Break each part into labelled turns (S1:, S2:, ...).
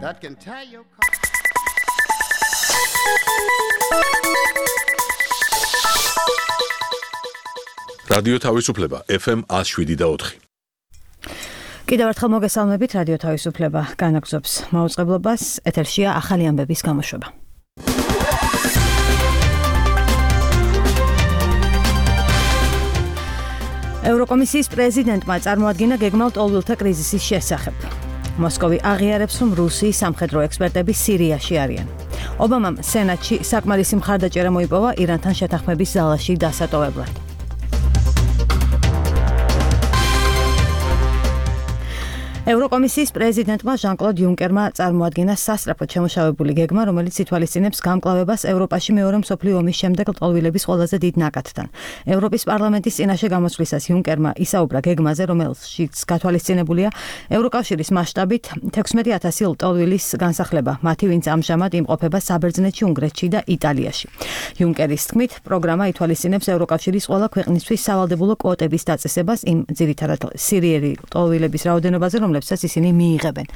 S1: that can tie your
S2: რადიო თავისუფლება FM 107.4.
S3: კიდევ ერთხელ მოგესალმებით, რადიო თავისუფლება განაგრძობს მაუწყებლობას, ეთერშია ახალი ამბების გამოშვება. ევროკომისიის პრეზიდენტმა წარმოადგინა გეგმავ ტოლვილთა კრიზისის შესახებ. მოსკოვი აღიარებს, რომ რუსიის სამხედრო ექსპერტები სირიაში არიან. ობამამ სენატში საკმარისი მხარდაჭერა მოიპოვა ირანთან შეთანხმების ზალაში დასატოვებლად. ევროკომისიის პრეზიდენტმა ჟან-კლოდ იუნკერმა წარმოადგინა სასწრაფოდ შემუშავებული გეგმა, რომელიც ითვალისწინებს გამკლავებას ევროპაში მეორე მსოფლიო ომის შემდეგ ლტოლვილების ყველაზე დიდ ნაკადთან. ევროპის პარლამენტის წინაშე გამოსვლისას იუნკერმა ისაუბრა გეგმაზე, რომელშიც გათვალისწინებულია ევროკავშირის მასშტაბით 16,000 ლტოლვილის განსახლება, მათი ვინც ამჟამად იმყოფება საბერძნეთში, უნგრეთში და იტალიაში. იუნკერის თქმით, პროგრამა ითვალისწინებს ევროკავშირის ყველა ქვეყნისთვის სავალდებულო კვოტების დაწესებას იმ ძირითადად სირიელი ლტოლვილების რაოდენობაზე, რომლებსაც ისინი მიიღებენ.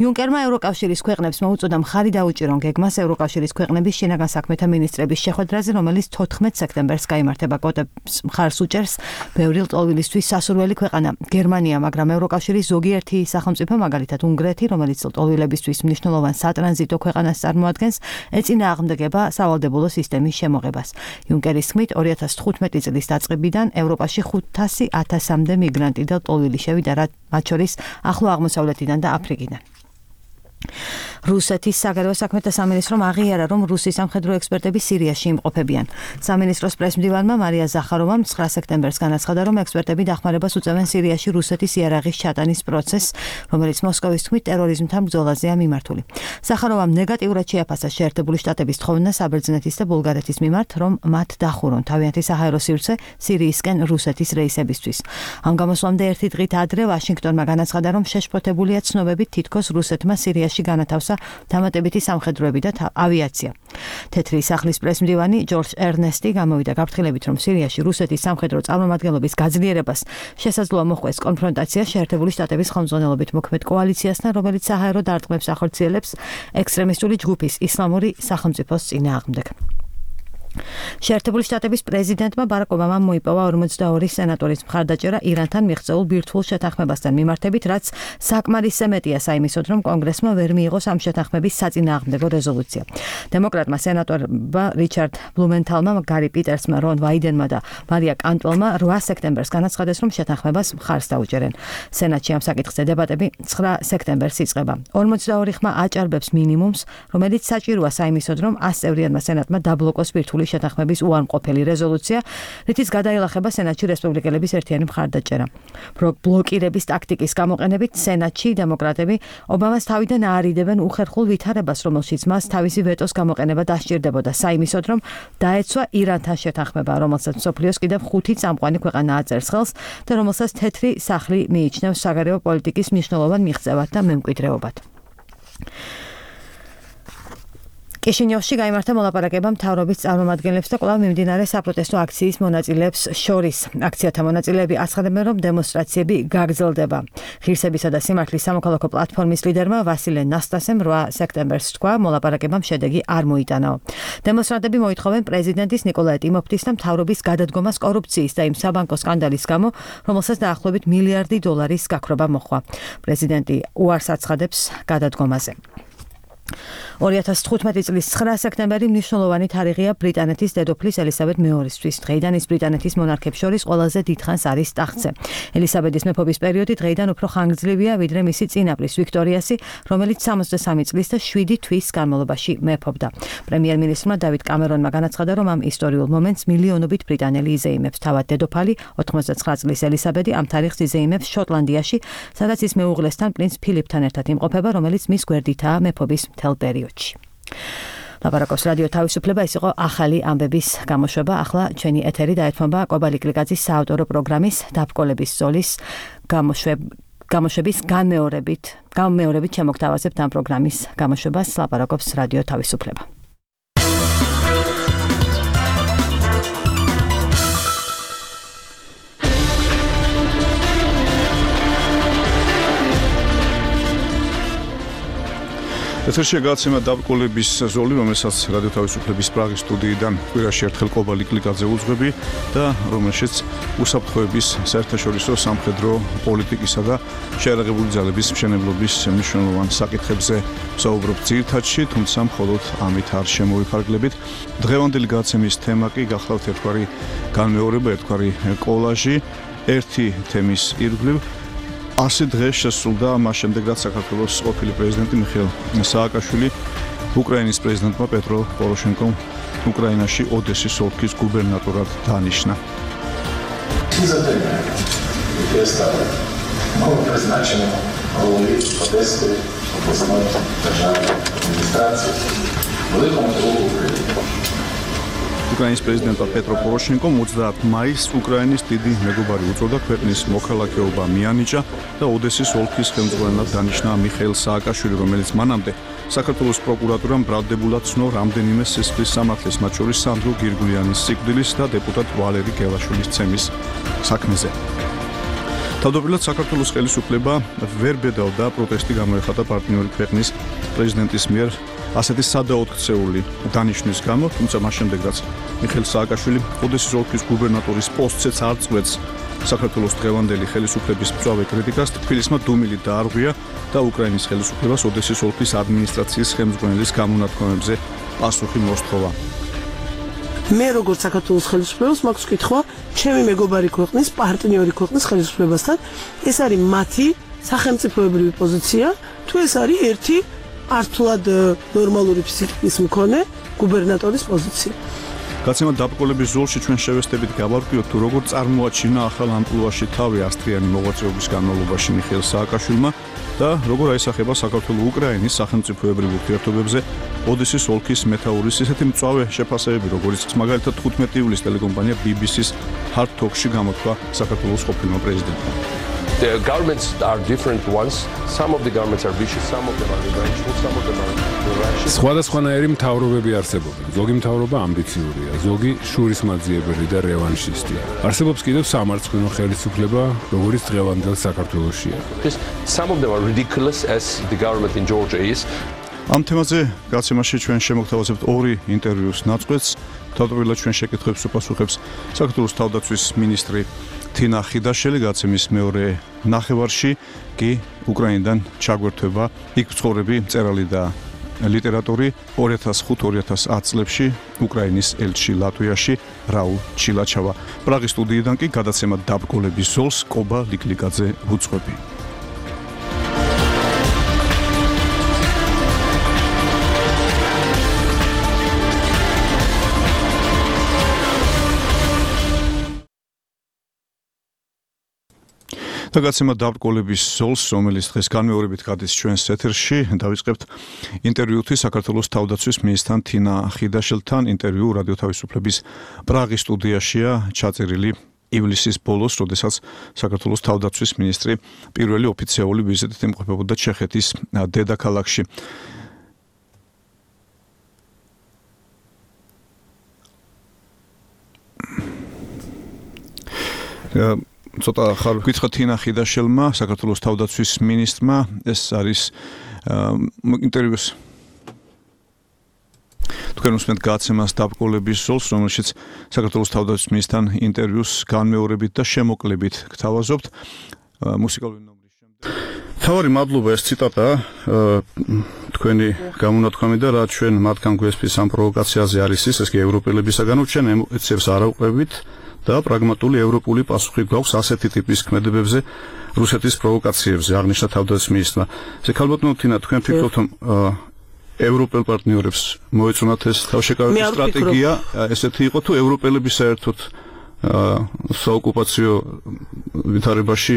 S3: იუნკერმა ევროკავშირის ქვეყნებს მოუწოდა მხარი დაუჭირონ გეგმას ევროკავშირის ქვეყნების შინაგან საქმეთა მინისტრების შეხვედრაზე, რომელიც 14 სექტემბერს გაიმართება. კვოტებს მხარს უჭერს ბევრი ლტოლვილისთვის სასურველი ქვეყანა გერმანია, მაგრამ ევროკავშირის ზოგიერთი სახელმწიფო, მაგალითად უნგრეთი, რომელიც ლტოლვილებისთვის მნიშვნელოვან სატრანზიტო ქვეყანას წარმოადგენს, ეწინააღმდეგება სავალდებულო სისტემის შემოღებას. იუნკერის თქმით, 2015 წლის დაწყებიდან ევროპაში 500,000-მდე მიგრანტი და ლტოლვილი შევიდა, მათ შორის ახლო აღმოსავლეთიდან და აფრიკიდან. რუსეთის საგარეო საქმეთა სამინისტრომ აღიარა, რომ რუსის სამხედრო ექსპერტები სირიაში იმყოფებიან. სამინისტროს პრესმდივანმა მარია ზახაროვამ 9 სექტემბერს განაცხადა, რომ ექსპერტები დახმარებას უწევენ სირიაში რუსეთის იარაღის ჩატანის პროცესს, რომელიც მოსკოვის თქმით ტერორიზმთან ბრძოლაზეა მიმართული. ზახაროვამ ნეგატიურად შეაფასა შეერთებული შტატების თხოვნა საბერძნეთის და ბულგარეთის მიმართ, რომ მათ დახურონ თავიანთი საჰაერო სივრცე სირიისკენ რუსეთის რეისებისთვის. ამ გამოსვლამდე ერთი დღით ადრე ვაშინგტონმა განაცხადა, რომ შეშფოთებულია ცნობებით თითქოს რუსეთმა სირიაში განათავსა დამატებითი სამხედროები და ავიაცია. თეთრი სახლის პრესმდივანი ჯორჯ ერნესტი გამოვიდა გაფრთხილებით, რომ სირიაში რუსეთის სამხედრო წარმომადგენლობის გაძლიერებას შესაძლოა მოჰყვეს კონფრონტაცია შეერთებული შტატების ხელმძღვანელობით მოქმედ კოალიციასთან, რომელიც საჰაერო დარტყმებს ახორციელებს ექსტრემისტული ჯგუფის ისლამური სახელმწიფოს წინააღმდეგ. შეერთებული შტატების პრეზიდენტმა ბარაკ ობამამ მოიპოვა 42 სენატორის მხარდაჭერა ირანთან მიღწეულ ბირთვულ შეთანხმებასთან მიმართებით, რაც საკმარისზე მეტია საიმისოდ, რომ კონგრესმა ვერ მიიღოს ამ შეთანხმების საწინააღმდეგო რეზოლუცია. დემოკრატმა სენატორმა რიჩარდ ბლუმენთალმა, გარი პიტერსმა, რონ ვაიდენმა და მარია კანტველმა 8 სექტემბერს განაცხადეს, რომ შეთანხმებას მხარს დაუჭერენ. სენატში ამ საკითხზე დებატები 9 სექტემბერს იწყება. 42 ხმა აჭარბებს მინიმუმს, რომელიც საჭიროა საიმისოდ, რომ 100 წევრიანმა სენატმა დაბლოკოს ბირთვული შეთანხმების უარმყოფელი რეზოლუცია, რითიც გადაილახება სენატში რესპუბლიკელების ერთიანი მხარდაჭერა. ბლოკირების ტაქტიკის გამოყენებით სენატში დემოკრატები ობამას თავიდან აარიდებენ უხერხულ ვითარებას, რომელშიც მას თავისი ვეტოს გამოყენება დასჭირდებოდა საიმისოდ, რომ დაეცვა ირანთან შეთანხმება, რომელსაც მსოფლიოს კიდევ 5 წამყვანი ქვეყანა აწერს ხელს და რომელსაც თეთრი სახლი მიიჩნევს საგარეო პოლიტიკის მნიშვნელოვან მიღწევად და მემკვიდრეობად. კიშინიოვში გაიმართა მოლაპარაკება მთავრობის წარმომადგენლებს და კვლავ მიმდინარე საპროტესტო აქციის მონაწილეებს შორის. აქციათა მონაწილეები აცხადებენ, რომ დემონსტრაციები გაგრძელდება. ღირსებისა და სიმართლის სამოქალაქო პლატფორმის ლიდერმა ვასილე ნასტასემ 8 სექტემბერს თქვა, მოლაპარაკებამ შედეგი არ მოიტანაო. დემონსტრანტები მოითხოვენ პრეზიდენტის ნიკოლაი ტიმოფტის და მთავრობის გადადგომას კორუფციის და იმ საბანკო სკანდალის გამო, რომელსაც დაახლოებით $1 მილიარდი გაქრობა მოჰყვა. პრეზიდენტი უარს აცხადებს გადადგომაზე. 2015 წლის 9 სექტემბერი მნიშვნელოვანი თარიღია ბრიტანეთის დედოფლის ელისაბედ მეორისთვის. დღეიდან ის ბრიტანეთის მონარქებს შორის ყველაზე დიდხანს არის ტახტზე. ელისაბედის მეფობის პერიოდი დღეიდან უფრო ხანგრძლივია, ვიდრე მისი წინაპრის ვიქტორიასი, რომელიც 63 წლის და 7 თვის განმავლობაში მეფობდა. პრემიერ-მინისტრმა დავიდ კამერონმა განაცხადა, რომ ამ ისტორიულ მომენტს მილიონობით ბრიტანელი იზეიმებს. თავად დედოფალი 89 წლის ელისაბედი ამ თარიღს იზეიმებს შოტლანდიაში, სადაც ის მეუღლესთან პრინც ფილიპთან ერთად იმყოფება, რომელიც მის გვერდითაა მეფობის მთელ პერიოდში. ლაპარაკობს რადიო თავისუფლება, ეს იყო ახალი ამბების გამოშვება. ახლა ჩვენი ეთერი დაეთმობა კობალი კლიკაძის საავტორო პროგრამის დაბრკოლების ზოლის გამოშვების განმეორებით შემოგთავაზებთ ამ პროგრამის გამოშვებას. ლაპარაკობს რადიო თავისუფლება.
S1: ეთერშია გადაცემა დაბრკოლების ზოლი, რომელსაც რადიო თავისუფლების პრაღის სტუდიიდან კვირაში ერთხელ ყობა ლიკლიკაძე უძღვები და რომელშიც უსაფრთხოების საერთაშორისო სამხედრო პოლიტიკისა და შეიარაღებული ძალების მშენებლობის მნიშვნელოვან საკითხებზე ვსაუბრობთ ძირითადში, თუმცა მხოლოდ ამით არ შემოვიფარგლებით. დღევანდელი გადაცემის თემა კი გახლავთ ერთგვარი განმეორება, ერთგვარი კოლაჟი, ერთი თემის ირგვლივ. 100 დღე შესრულდა მას შემდეგ, რაც საქართველოს ყოფილი პრეზიდენტი მიხეილ სააკაშვილი უკრაინის პრეზიდენტმა პეტრო პოროშენკომ უკრაინაში ოდესის ოლქის გუბერნატორად დანიშნა. უკრაინის პრეზიდენტმა პეტრო პოროშენკომ 30 მაისს უკრაინის დიდი მეგობარი უწოდა, ქვეყნის მოქალაქეობა მიანიჭა და ოდესის ოლქის ხელმძღვანელად დანიშნა მიხეილ სააკაშვილი, რომელიც მანამდე საქართველოს პროკურატურამ ბრალდებულად ცნო რამდენიმე სისხლის სამართლის, მათ შორის სანდრო გირგულიანის სიკვდილის და დეპუტატ ვალერი გელაშვილის ცემის საქმეზე. თავდაპირველად საქართველოს ხელისუფლება ვერ ბედავდა პროტესტი გამოეხატა პარტნიორი ქვეყნის პრეზიდენტის მიერ ასეთი სადაოთხცეული დანიშნვის გამო, თუმცა მას შემდეგ, რაც მიხეილ სააკაშვილი ოდესის ოლქის გუბერნატორის პოსტზეც არ წყვეტს საქართველოს დღევანდელი ხელისუფლების მწვავე კრიტიკას, თბილისმა დუმილი დაარღვია და უკრაინის ხელისუფლებას ოდესის ოლქის ადმინისტრაციის ხელმძღვანელის გამონათქვამებზე პასუხი მოსთხოვა.
S4: მე როგორც საქართველოს ხელისუფლებას მაქვს კითხვა ჩემი მეგობარი ქვეყნის, პარტნიორი ქვეყნის ხელისუფლებასთან, ეს არის მათი სახელმწიფოებრივი პოზიცია, თუ ეს არის ერთი ართულად ნორმალური ფსიქიკის მქონე გუბერნატორის პოზიცია.
S1: გადაცემა დაბრკოლების ზოლში ჩვენ შევესწრებით გავარკვიოთ, თუ როგორ წარმოაჩინა ახალ ამპლუაში თავი ასტრიანი მოღვაწეობის განმავლობაში მიხეილ სააკაშვილმა და როგორ აისახება საქართველო-უკრაინის სახელმწიფოებრივ ურთიერთობებზე ოდესის ოლქის მეთაურის ისეთი მწვავე შეფასებები, როგორიც მაგალითად 15 ივლისს ტელეკომპანია BBC-ს Hard Talk-ში გამოთქვა საქართველოს ყოფილმა პრეზიდენტმა.
S5: The governments are different ones. Some of the governments are vicious, some of them are revengeful, some of them are rational.
S6: სხვადასხვანაირი მთავრობები არსებობენ. ზოგი მთავრობა ამბიციურია, ზოგი შურისმაძიებელი და რევანშისტია. არსებობს კიდევ სამარცხვინო ხელისუფლება, როგორც დღევანდელ საქართველოშია.
S5: Some of them are ridiculous, as the government in Georgia is.
S1: ამ თემაზე გადაცემაში ჩვენ შემოგთავაზებთ ორი ინტერვიუს ნაწყვეტს. თავდაპირველად ჩვენ შეკითხვებს უპასუხებს საქართველოს თავდაცვის მინისტრი თინა ხიდაშელი, გადაცემის მეორე ნახევარში კი უკრაინიდან ჩაგვერთვება იქ მცხოვრები მწერალი და ლიტერატორი 2005-2010 წლებში უკრაინის ელჩი ლატვიაში რაულ ჩილაჩავა. პრაღის სტუდიიდან კი გადაცემა დაბრკოლების ზოლს ყობა ლიკლიკაძე უძღვები. და გადაცემა დაბრკოლების ზოლს, რომელიც დღეს განმეორებით გადის ჩვენს ეთერში, დავიწყებთ ინტერვიუთი საქართველოს თავდაცვის მინისტრთან თინა ხიდაშელთან. ინტერვიუ რადიო თავისუფლების პრაღის სტუდიაშია ჩაწერილი ივლისის ბოლოს, როდესაც საქართველოს თავდაცვის მინისტრი პირველი ოფიციალური ვიზიტით იმყოფებოდა ჩეხეთის დედაქალაქში. ცოტა ხარ გითხრა თინა ხიდაშელმა, საქართველოს თავდაცვის მინისტრმა, ეს არის ინტერვიუს თქვენ უსმენთ გადაცემას დაბრკოლების ზოლს, რომელშიც საქართველოს თავდაცვის მინისტრთან ინტერვიუს განმეორებით და შემოკლებით გთავაზობთ. მუსიკალური ნომრის შემდეგ. თავარი მადლობა, ეს ციტატა თქვენი გამონათქვამი და რა ჩვენ მათგან გვესპის ამ პროვოკაციაზე არის ის კი ევროპელებისაგანო, ჩვენ ემოციებს არ ავყვებით და პრაგმატული ევროპული პასუხი გვაქვს ასეთი ტიპის ქმედებებზე, რუსეთის პროვოკაციებზე, აღნიშნა თავდაცვის მინისტრმა. ზეკალბატონო თინა, თქვენ ფიქრობთ, რომ ევროპელ პარტნიორებს მოეწონათ ეს თავშეკავების სტრატეგია, ესეთი იყო თუ ევროპელები საერთოდ საოკუპაციო ვითარებაში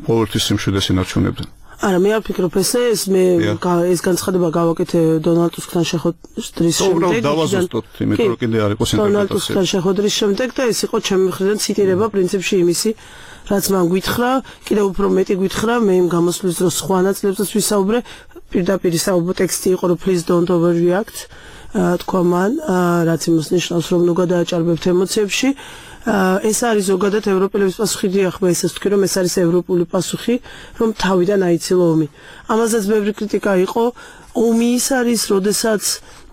S1: ყოველთვის სიმშვიდეს ინარჩუნებდნენ?
S4: არა, მე არ ვფიქრობ ესე, ეს განცხადება გავაკეთე დონალდ ტუსკთან შეხვედრის შემდეგ.
S1: დავაზუსტოთ, იმიტომ რომ კიდე არ იყოს ინტერპრეტაცია.
S4: დონალდ ტუსკთან შეხვედრის შემდეგ და ეს იყო ჩემი მხრიდან ციტირება პრინციპში იმისი, რაც მან გითხრა, კიდევ უფრო მეტი გითხრა, მე იმ გამოსვლის დროს სხვა ნაწილებსაც ვისაუბრე, პირდაპირ საუბრო ტექსტი იყო, რომ please don't overreact. თქვა მან, რაც იმას ნიშნავს, რომ ნუ გადააჭარბებთ ემოციებში. ეს არის ზოგადად ევროპელების პასუხი, ახლა ისე ვთქვი, რომ ეს არის ევროპული პასუხი, რომ თავიდან აიცილო ომი. ამაზეც ბევრი კრიტიკა იყო. ომი ის არის, როდესაც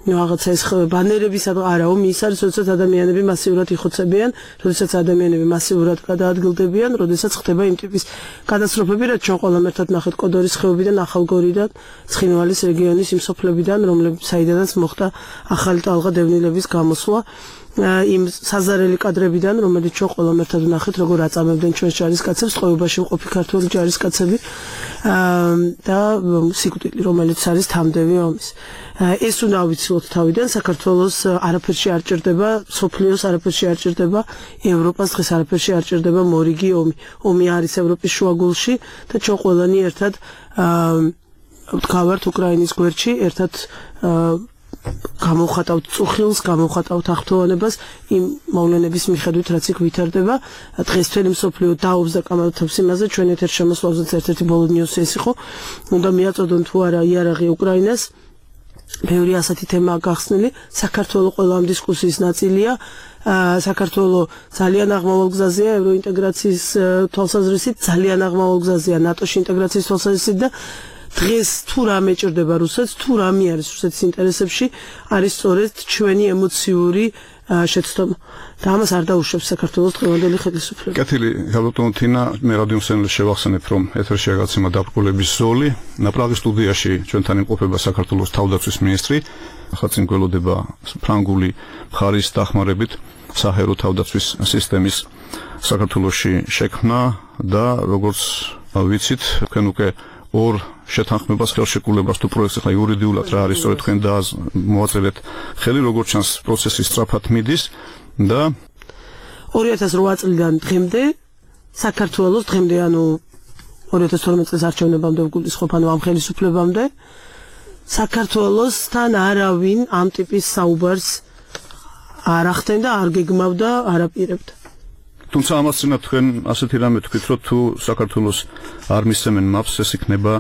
S4: რაღაცა ეს ბანერები არა, ომი ის არის, როდესაც ადამიანები მასიურად იხოცებიან, როდესაც ადამიანები მასიურად გადაადგილდებიან, როდესაც ხდება იმ ტიპის კატასტროფები, რაც ჩვენ ყველამ ერთად ნახეთ კოდორის ხეობიდან, ახალგორიდან, ცხინვალის რეგიონის იმ სოფლებიდან, საიდანაც მოხდა ახალი ტალღა დევნილების გამოსვლა. იმ საზარელი კადრებიდან, რომელიც ჩვენ ყველამ ერთად ვნახეთ, როგორ აწამებდნენ ჩვენს ჯარისკაცებს, წყობაში მყოფი ქართული ჯარისკაცები და სიკვდილი, რომელიც არის თამდევი ომის. ეს უნდა ავიცილოთ თავიდან, საქართველოს არაფერში არ ჭირდება, სოფლიოს არაფერში არ ჭირდება, ევროპას დღეს არაფერში არ ჭირდება მორიგი ომი. ომი არის ევროპის შუაგულში და ჩვენ ყველანი ერთად ვდგავართ უკრაინის გვერდში, ერთად გამოვხატავთ წუხილს, გამოვხატავთ აღფრთოვანებას იმ მოვლენების მიხედვით, რაც იქ ვითარდება. დღეს მთელი მსოფლიო დაობს და კამათობს იმაზე, ჩვენ ეთერ შემოსვლაზეც ერთ-ერთი ბოლო ნიუსი ეს იყო. უნდა მიაწოდონ თუ არა იარაღი უკრაინას. ბევრი ასეთი თემაა გახსნილი. საქართველოს ყველა ამ დისკუსიის ნაწილია. საქართველოს ძალიან აღმავალ გზაზეა ევროინტეგრაციის თვალსაზრისით, ძალიან აღმავალ გზაზეა ნატოში ინტეგრაციის თვალსაზრისით და დღეს თუ რამე ჭირდება რუსეთს, თუ რამე არის რუსეთის ინტერესებში, არის სწორედ ჩვენი ემოციური შეცდომა. და ამას არ დაუშვებს საქართველოს დღევანდელი ხელისუფლება.
S1: კეთილი, გაბატონო თინა, მე რადიო მსმენელს შევახსენებ, რომ ეთერში გაგაცემა დაბრკოლების ზოლი. ნაპრაღის სტუდიაში ჩვენთან იმყოფება საქართველოს თავდაცვის მინისტრი. ხალხი გველოდება ფრანგული მხარის დახმარებით საჰაერო თავდაცვის სისტემის საქართველოში შექმნა და როგორც ვიცით, თქვენ უკვე ორ შეთანხმებას ხელშეკრულებას თუ პროექტს ახლა იურიდიულად რა არის სწორედ თქვენ მოაწერეთ ხელი, როგორც ჩანს პროცესი სწრაფად მიდის და
S4: 2008 წლიდან დღემდე საქართველოს დღემდე ანუ 2012 წლის არჩევნებამდე ვგულისხმობ, ანუ ამ ხელისუფლებამდე საქართველოსთან არავინ ამ ტიპის საუბარს არ ახდენდა, არ გეგმავდა, არ აპირებდა.
S1: თუმცა ამას წინათ თქვენ ასეთი რამე თქვით, რომ თუ საქართველოს არ მისცემენ მაპს, ეს იქნება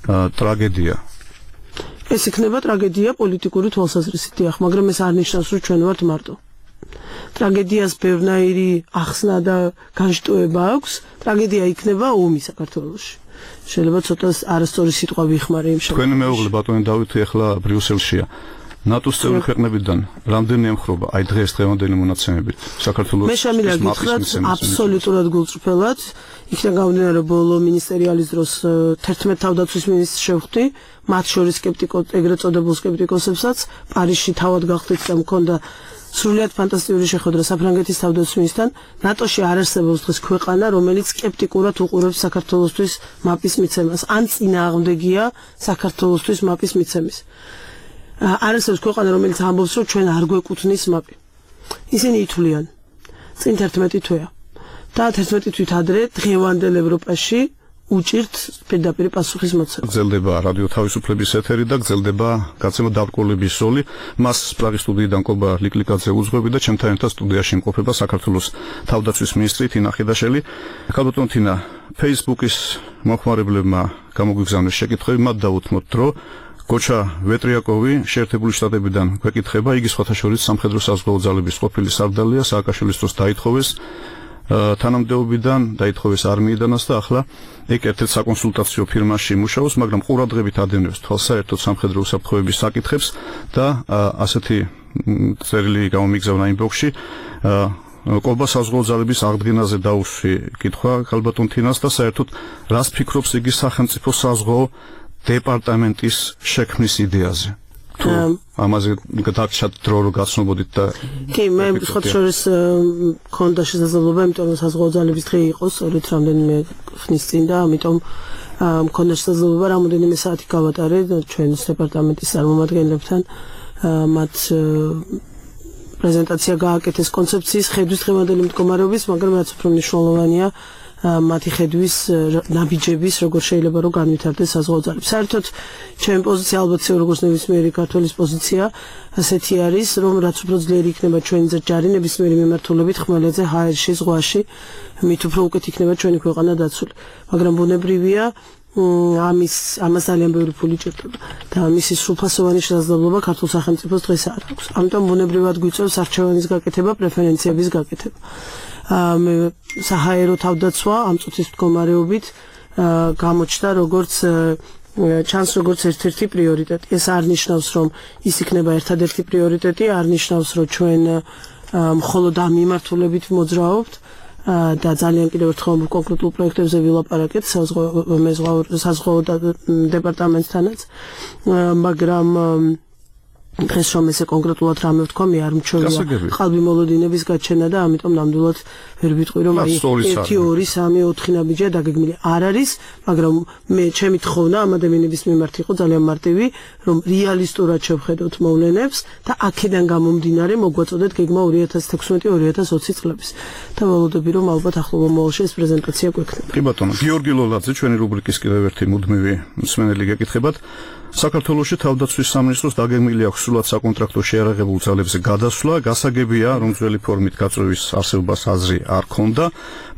S1: ტრაგედია.
S4: ეს იქნება ტრაგედია პოლიტიკური თვალსაზრისით, მაგრამ ეს არ ნიშნავს, რომ ჩვენ ვართ მარტო. ტრაგედიას ბევრნაირი ახსნა და განშტოება აქვს. ტრაგედია იქნება ომი საქართველოში. შეიძლება ცოტა არასწორი სიტყვა ვიხმარე იმ შემთხვევაში.
S1: თქვენი მეუღლე ბატონი დავითი ახლა ბრიუსელშია. ნატოს წევრი ქვეყნებიდან რამდენი ემხრობა აი დღევანდელი მონაცემებით საქართველოს
S4: მე შემიძლია გითხრათ აბსოლუტურად გულწრფელად იქნა გამომდინარე ბოლო მინისტერიალის დროს 11 თავდაცვის მინისტრს შევხვდი მათ შორის ეგრეთ წოდებულ სკეპტიკოსებსაც პარიზში თავად გახდით და მქონდა სრულიად ფანტასტიკური შეხვედრა საფრანგეთის თავდაცვის მინისტრთან ნატოში არ არსებობს დღეს ქვეყანა რომელიც სკეპტიკურად უყურებს საქართველოსთვის მაპის მიცემას ან წინააღმდეგია საქართველოსთვის მაპის მიცემის არ არსებობს ქვეყანა რომელიც ამბობს რომ ჩვენ არ გვეკუთვნის მაპი ისინი ითვლიან წინ 11 თვეა და 11 თვით ადრე დღევანდელ ევროპაში უჭირთ პირდაპირ პასუხის მოცემა.
S1: გრძელდება რადიო თავისუფლების ეთერი და გრძელდება გაცემა დაბრკოლების ზოლი. მას პრაღის სტუდიიდან კობა ლიკლიკაძე უძღვები და ჩემთან ერთად სტუდიაში იმყოფება საქართველოს თავდაცვის მინისტრი თინა ხიდაშელი. ქალბატონ თინა, Facebook-ის მოხმარებლებმა გამოგვიგზავნეს შეკითხვები, მათ დაუთმოთ, რომ გოჩა ვეტრიაკოვი შეერთებული შტატებიდან გვეკითხება, იგი სხვათა შორის სამხედრო საზღვაო ძალების ყოფილი სარდალია, სააკაშვილის დროს დაითხოვეს თანამდებობიდან დაითხოვეს არმიიდანაც და ახლა ეგ ერთ-ერთ საკონსულტაციო ფირმაში მუშაობს, მაგრამ ყურადღებით ადევნებს თვალს საერთოდ სამხედრო უსაფრთხოების საკითხებს და ასეთი წერილი გამომიგზავნა ინბოქსში კობა საზღვაო ძალების აღდგენაზე დაუშვი კითხვა ქალბატონ თინას და საერთოდ რას ფიქრობს იგი სახელმწიფო საზღვაო დეპარტამენტის შექმნის იდეაზე? ამაზე გადაჭრა დრო რო გაცნობოდით და
S4: კი მე ხოთ შორის ქონდა შესაძლებლობა იმიტომ რომ საზღვაო ძალების დღე იყო სწორედ რამდენიმე ხნის წინ და ამიტომ მქონდა შესაძლებლობა რამოდენიმე საათი გავატარე ჩვენს დეპარტამენტის წარმომადგენლებთან მათ პრეზენტაცია გააკეთეს კონცეფციის ხედვის დღევანდელი მდგომარეობის მაგრამ რაც უფრო მნიშვნელოვანია მათი ხედვის ნაბიჯების როგორ შეიძლება რომ განვითარდეს საზღვაო ძალები. საერთოდ ჩემი პოზიცია ალბათ როგორც ნებისმიერი ქართველის პოზიცია ასეთი არის რომ რაც უფრო ძლიერი იქნება ჩვენი ჯარი ნებისმიერი მიმართულებით ხმელეთზე ჰაერში ზღვაში მით უფრო უკეთ იქნება ჩვენი ქვეყანა დაცული. მაგრამ ბუნებრივია ამას ძალიან ბევრი ფული ჭირდება და მისი სრულფასოვანი შესაძლებლობა ქართულ სახელმწიფოს დღეს არ აქვს. ამიტომ ბუნებრივად გვიწევს არჩევანის გაკეთება, პრეფერენციების გაკეთება. მე საჰაერო თავდაცვა ამ წუთის მდგომარეობით გამოჩნდა როგორც ჩანს როგორც ერთ-ერთი პრიორიტეტი. ეს არ ნიშნავს, რომ ის იქნება ერთადერთი პრიორიტეტი, არ ნიშნავს, რომ ჩვენ მხოლოდ ამ მიმართულებით მოძრაობთ და ძალიან კიდევ ერთხელ კონკრეტულ პროექტებზე ვილაპარაკეთ საზღვაო დეპარტამენტთანაც, მაგრამ დღეს რომ ესე კონკრეტულად რამე ვთქვა, მე არ მჩვევია ყალბი მოლოდინების გაჩენა და ამიტომ ნამდვილად ვერ ვიტყვი, რომ 1, 2, 3, 4 ნაბიჯია დაგეგმილი. არ არის, მაგრამ მე ჩემი თხოვნა ამ ადამიანების მიმართ იყო ძალიან მარტივი, რომ რეალისტურად შევხედოთ მოვლენებს და აქედან გამომდინარე მოგვაწოდეთ გეგმა 2016-2020 წლების. და ველოდები, რომ ალბათ ახლობა მოვალში ეს პრეზენტაცია გვექნება.
S1: კი ბატონო, გიორგი ლოლაძე, ჩვენი რუბრიკის კიდევ ერთი მუდმივი მსმენელი გეკითხებათ. საქართველოში თავდაცვის სამინისტროს დაგეგმილი აქვს სრულად საკონტრაქტო შეიარაღებულ ძალებზე გადასვლა, გასაგებია, რომ ძველი ფორმით გაწევის არსებობას აზრი არ ქონდა,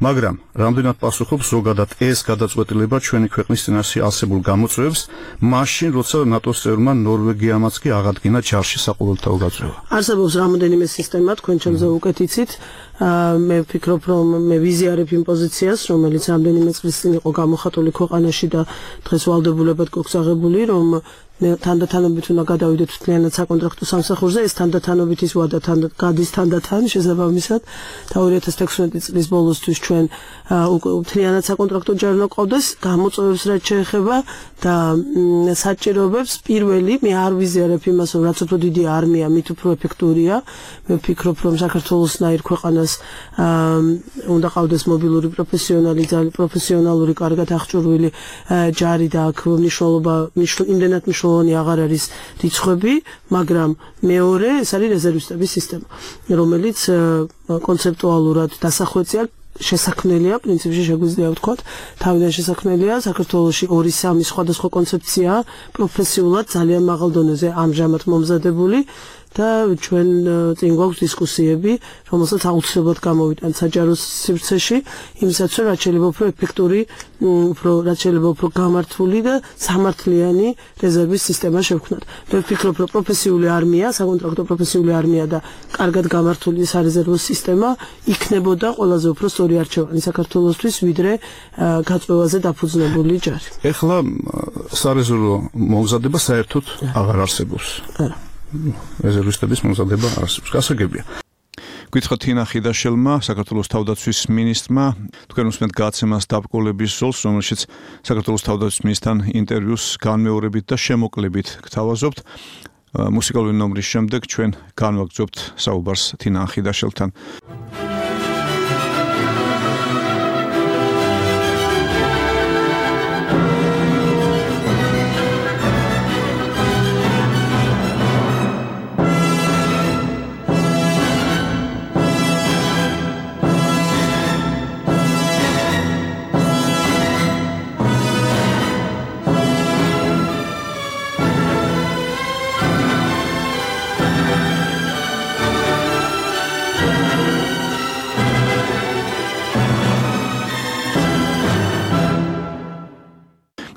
S1: მაგრამ რამდენად პასუხობს ზოგადად ეს გადაწყვეტილება ჩვენი ქვეყნის წინაშე არსებულ გამოწვევებს, მაშინ როცა ნატოს წევრმა ნორვეგიამაც კი აღადგინა ჯარში საყოველთაო გაწევა.
S4: არსებობს რამოდენიმე სისტემა, თქვენ ჩემზე უკეთ იცით. მე ვფიქრობ, რომ მე ვიზიარებ იმ პოზიციას, რომელიც რამდენიმე წლის წინ იყო გამოხატული ქვეყანაში და დღეს ვალდებულებად გვაქვს აღებული, რომ თანდათანობით უნდა გადავიდეთ მთლიანად საკონტრაქტო სამსახურზე, ეს თანდათანობით ის ვადა გადის თანდათან შესაბამისად და 2016 წლის ბოლოსთვის ჩვენ მთლიანად საკონტრაქტო ჯარი უნდა ყავდეს, გამოწვევებს რაც შეეხება და საჭიროებებს პირველი მე არ ვიზიარებ იმას, რომ რაც უფრო დიდი არმია, მით უფრო ეფექტურია. მე ვფიქრობ, რომ საქართველოსნაირ ქვეყანას უნდა ყავდეს მობილური პროფესიონალური, კარგად აღჭურვილი ჯარი და აქ მნიშვნელობა იმდენად მნიშვნელოვანი აღარ არის რიცხვები, მაგრამ მეორე ეს არის რეზერვისტების სისტემა, რომელიც კონცეპტუალურად დასახვეწია, შესაქმნელია, პრინციპში შეგვიძლია ვთქვათ, თავიდან შესაქმნელია, საქართველოში 2-3 სხვადასხვა კონცეფცია პროფესიულად ძალიან მაღალ დონეზე ამჟამად მომზადებული და ჩვენ წინ გვაქვს დისკუსიები, რომელსაც აუცილებლად გამოვიტანთ საჯარო სივრცეში, იმისათვის რომ რაც შეიძლება უფრო ეფექტური, რაც შეიძლება უფრო გამართული და სამართლიანი რეზერვის სისტემა შევქმნათ. მე ვფიქრობ, რომ პროფესიული არმია, საკონტრაქტო პროფესიული არმია და კარგად გამართული სარეზერვო სისტემა იქნებოდა ყველაზე უფრო სწორი არჩევანი საქართველოსთვის, ვიდრე გაწევაზე დაფუძნებული ჯარი.
S1: ეხლა სარეზერვო მომზადება საერთოდ აღარ არსებობს.
S4: არა.
S1: რეზერვისტების მომზადება არსებობს. გასაგებია. გითხრათ თინა ხიდაშელმა, საქართველოს თავდაცვის მინისტრმა, თქვენ უსმენთ გაცემას დაბრკოლების ზოლს, რომელშიც საქართველოს თავდაცვის მინისტრთან ინტერვიუს განმეორებით და შემოკლებით გთავაზობთ. მუსიკალური ნომრის შემდეგ ჩვენ განვაგრძობთ საუბარს თინა ხიდაშელთან.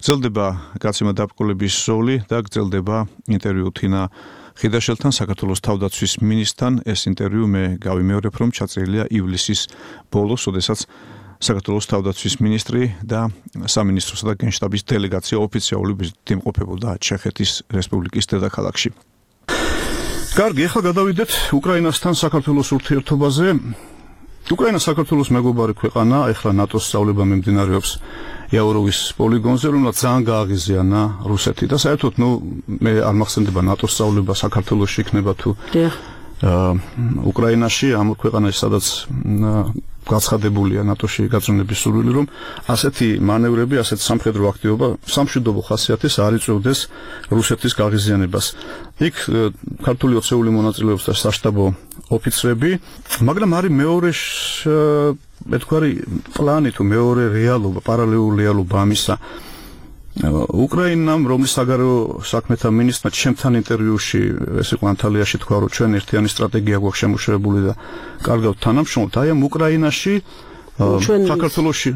S1: გრძელდება გაცემა დაბრკოლების ზოლი და გრძელდება ინტერვიუ თინა ხიდაშელთან, საქართველოს თავდაცვის მინისტრთან. ეს ინტერვიუ მე გავიმეორებ, რომ ჩაწერილია ივლისის ბოლოს, როდესაც საქართველოს თავდაცვის მინისტრი და სამინისტროსა და გენშტაბის დელეგაცია ოფიციალური ვიზიტით იმყოფებოდა ჩეხეთის რესპუბლიკის დედაქალაქში. კარგი, ახლა გადავიდეთ უკრაინასთან საქართველოს ურთიერთობაზე. უკრაინა საქართველოს მეგობარი ქვეყანა, ახლა ნატოს სწავლება მიმდინარეობს იაუროვის პოლიგონზე, რომელსაც ძალიან გააღიზიანა რუსეთი და საერთოდ მე არ მახსენდება ნატოს სწავლება საქართველოში იქნება თუ უკრაინაში, ამ ქვეყანაში, სადაც გაცხადებულია ნატოში გაწმენდების სურვილი, რომ ასეთი მანევრები, ასეთი სამხედრო აქტივობა სამშვიდობო ხასიათის არ იწვევდეს რუსეთის გააღიზიანებას. იქ ქართული ოცეული მონაწილეობს და საშტაბო ოფიცრები, მაგრამ არის მეორე მეთქვარი პლანი თუ მეორე რეალობა, პარალელური რეალობა ამისა. უკრაინამ, რომლის საგარეო საქმეთა მინისტრმა ჩემთან ინტერვიუში, ეს იყო ანტალიაში, თქვა, რომ ჩვენ ერთიანი სტრატეგია გვაქვს შემუშავებული და კარგავთ თანამშრომლობთ. აი ამ უკრაინაში საქართველოში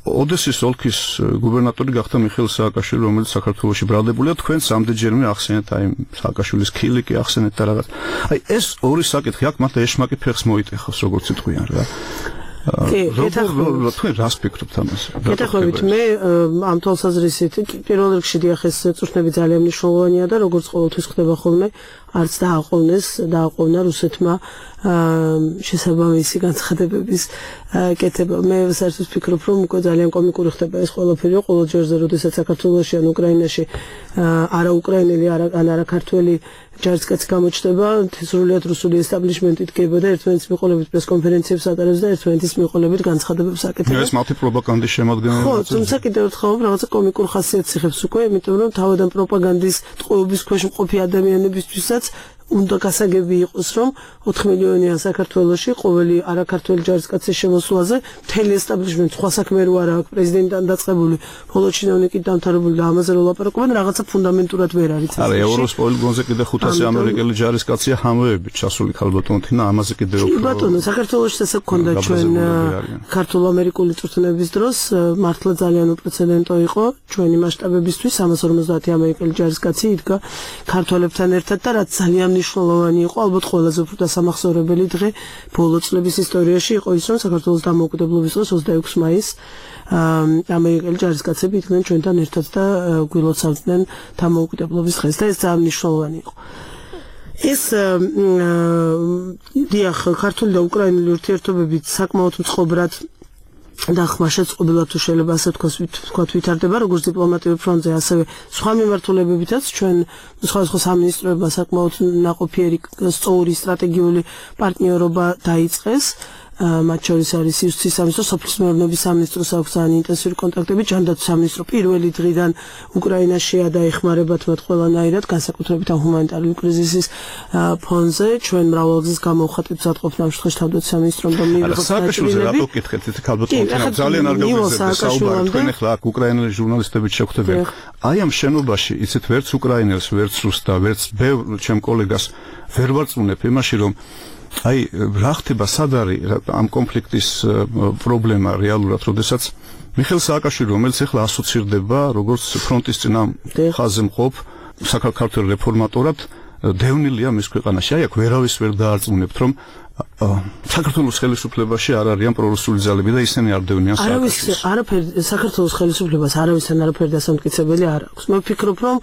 S1: ოდესის ოლქის გუბერნატორი გახდა მიხეილ სააკაშვილი, რომელიც საქართველოში ბრალდებულია. თქვენ სამდიჯერმე ახსენეთ აი სააკაშვილის ქილიკი ახსენეთ და რაღაც. აი ეს ორი საკითხი აქ მათ ეშმაკი ფეხს მოიტეხავს, როგორც იტყვიან რა. თქვენ რას ფიქრობთ ამაზე?
S4: გეტყვით, მე ამ თვალსაზრისით პირველ რიგში დიახ ეს წვრთნები ძალიან მნიშვნელოვანია და როგორც ყოველთვის ხდება ხოლმე, არც დააყოვნა რუსეთმა შესაბამისი განცხადებების კეთება. მე საერთოდ ვფიქრობ, რომ უკვე ძალიან კომიკური ხდება ეს ყველაფერი, ყოველ ჯერზე, როდესაც საქართველოში ან უკრაინაში არა უკრაინელი, არა ქართველი ჯარისკაცი გამოჩნდება, სრულიად რუსული ესტაბლიშმენტი დგება და ერთმანეთის მიყოლებით პრესკონფერენციებს ატარებს და ერთმანეთის მიყოლებით განცხადებებს აკეთებს.
S1: ეს მათი პროპაგანდის შემადგენელი.
S4: ხო, თუმცა კიდევ ერთხელ რაღაცა კომიკურ ხასიათს იღებს უკვე, იმიტომ რომ თავიდან პროპაგანდის ტყუების ქვეშ მყოფი ადამიანებისთვისაც უნდა გასაგები იყოს, რომ 4 მილიონიან საქართველოში ყოველი არაქართველი ჯარისკაცის შემოსვლაზე მთელი ესტაბლიშმენტი სხვა საქმე რო არა აქვს, პრეზიდენტთან დაწყებული, ბოლო ჩინოვნიკით დამთავრებული და ამაზე რო ლაპარაკობენ, რაღაცა ფუნდამენტურად ვერ არის.
S1: არა, ევროს პოლიგონზე კიდე 500 ამერიკელი ჯარისკაცია ხამეებით ჩასული ქალბატონთინა, ამაზე კიდე უფრო.
S4: ბატონო, საქართველოში ესე გქონდა ჩვენ ქართულ-ამერიკული წვრთნების დროს, მართლა ძალიან უპრეცედენტო იყო ჩვენი მასშტაბებისთვის 350 ამერიკელი ჯარისკაცი იდგა ქართველებთან ერთად და რაც ძალიან მნიშვნელოვანი იყო, ალბათ ყველაზე უფრო დასამახსოვრებელი დღე ბოლო წლების ისტორიაში იყო ის, რომ საქართველოს დამოუკიდებლობის დღეს 26 მაისს ამერიკელი ჯარისკაცები იდგნენ ჩვენთან ერთად და გვილოცავდნენ დამოუკიდებლობის დღეს და ეს ძალიან მნიშვნელოვანი იყო. ეს დიახ, ქართული და უკრაინული ურთიერთობები საკმაოდ მწყობრად და ხმაშეწყობილად თუ შეიძლება ასე ვთქვათ ვითარდება როგორც დიპლომატიურ ფრონტზე, ასევე სხვა მიმართულებებითაც ჩვენ სხვადასხვა სამინისტროებმა საკმაოდ ნაყოფიერი სწორი სტრატეგიული პარტნიორობა დაიწყეს. მათ შორის არის იუსტიციის სამინისტრო, სოფლის მეურნეობის სამინისტროს აქვს ძალიან ინტენსიური კონტაქტები, ჯანდაცვის სამინისტრო პირველი დღიდან უკრაინაშია და ეხმარებათ მათ ყველანაირად, განსაკუთრებით ამ ჰუმანიტარული კრიზისის ფონზე. ჩვენ მრავალგზის გამოვხატეთ მზადყოფნა ამ შემთხვევაში თავდაცვის სამინისტრომ და მიიღოთ
S1: სააკაშვილზე რატო გითხეთ ეს ქალბატონი ძალიან არ გავიზარდე საუბარი თქვენ ახლა აქ უკრაინელი ჟურნალისტებით შეგხვდებიან. აი ამ შენობაში იცით ვერც უკრაინელს, ვერც რუსს და ვერც ბევრ ჩემ კოლეგას ვერ ვარწმუნებ იმაში, რომ აი რა ხდება სად არის ამ კონფლიქტის პრობლემა რეალურად, როდესაც მიხეილ სააკაშვილი, რომელიც ახლა ასოცირდება როგორც ფრონტის წინა ხაზზე მყოფ საქართველოს რეფორმატორად, დევნილია მის ქვეყანაში. აი აქ ვერავის ვერ დაარწმუნებთ, რომ საქართველოს ხელისუფლებაში არ არიან პრორუსული ძალები და ისინი არ დევნიან სააკაშვილს.
S4: არაფერი საქართველოს ხელისუფლებას არავისთან არაფერი დასამტკიცებელი არ აქვს. მე ვფიქრობ, რომ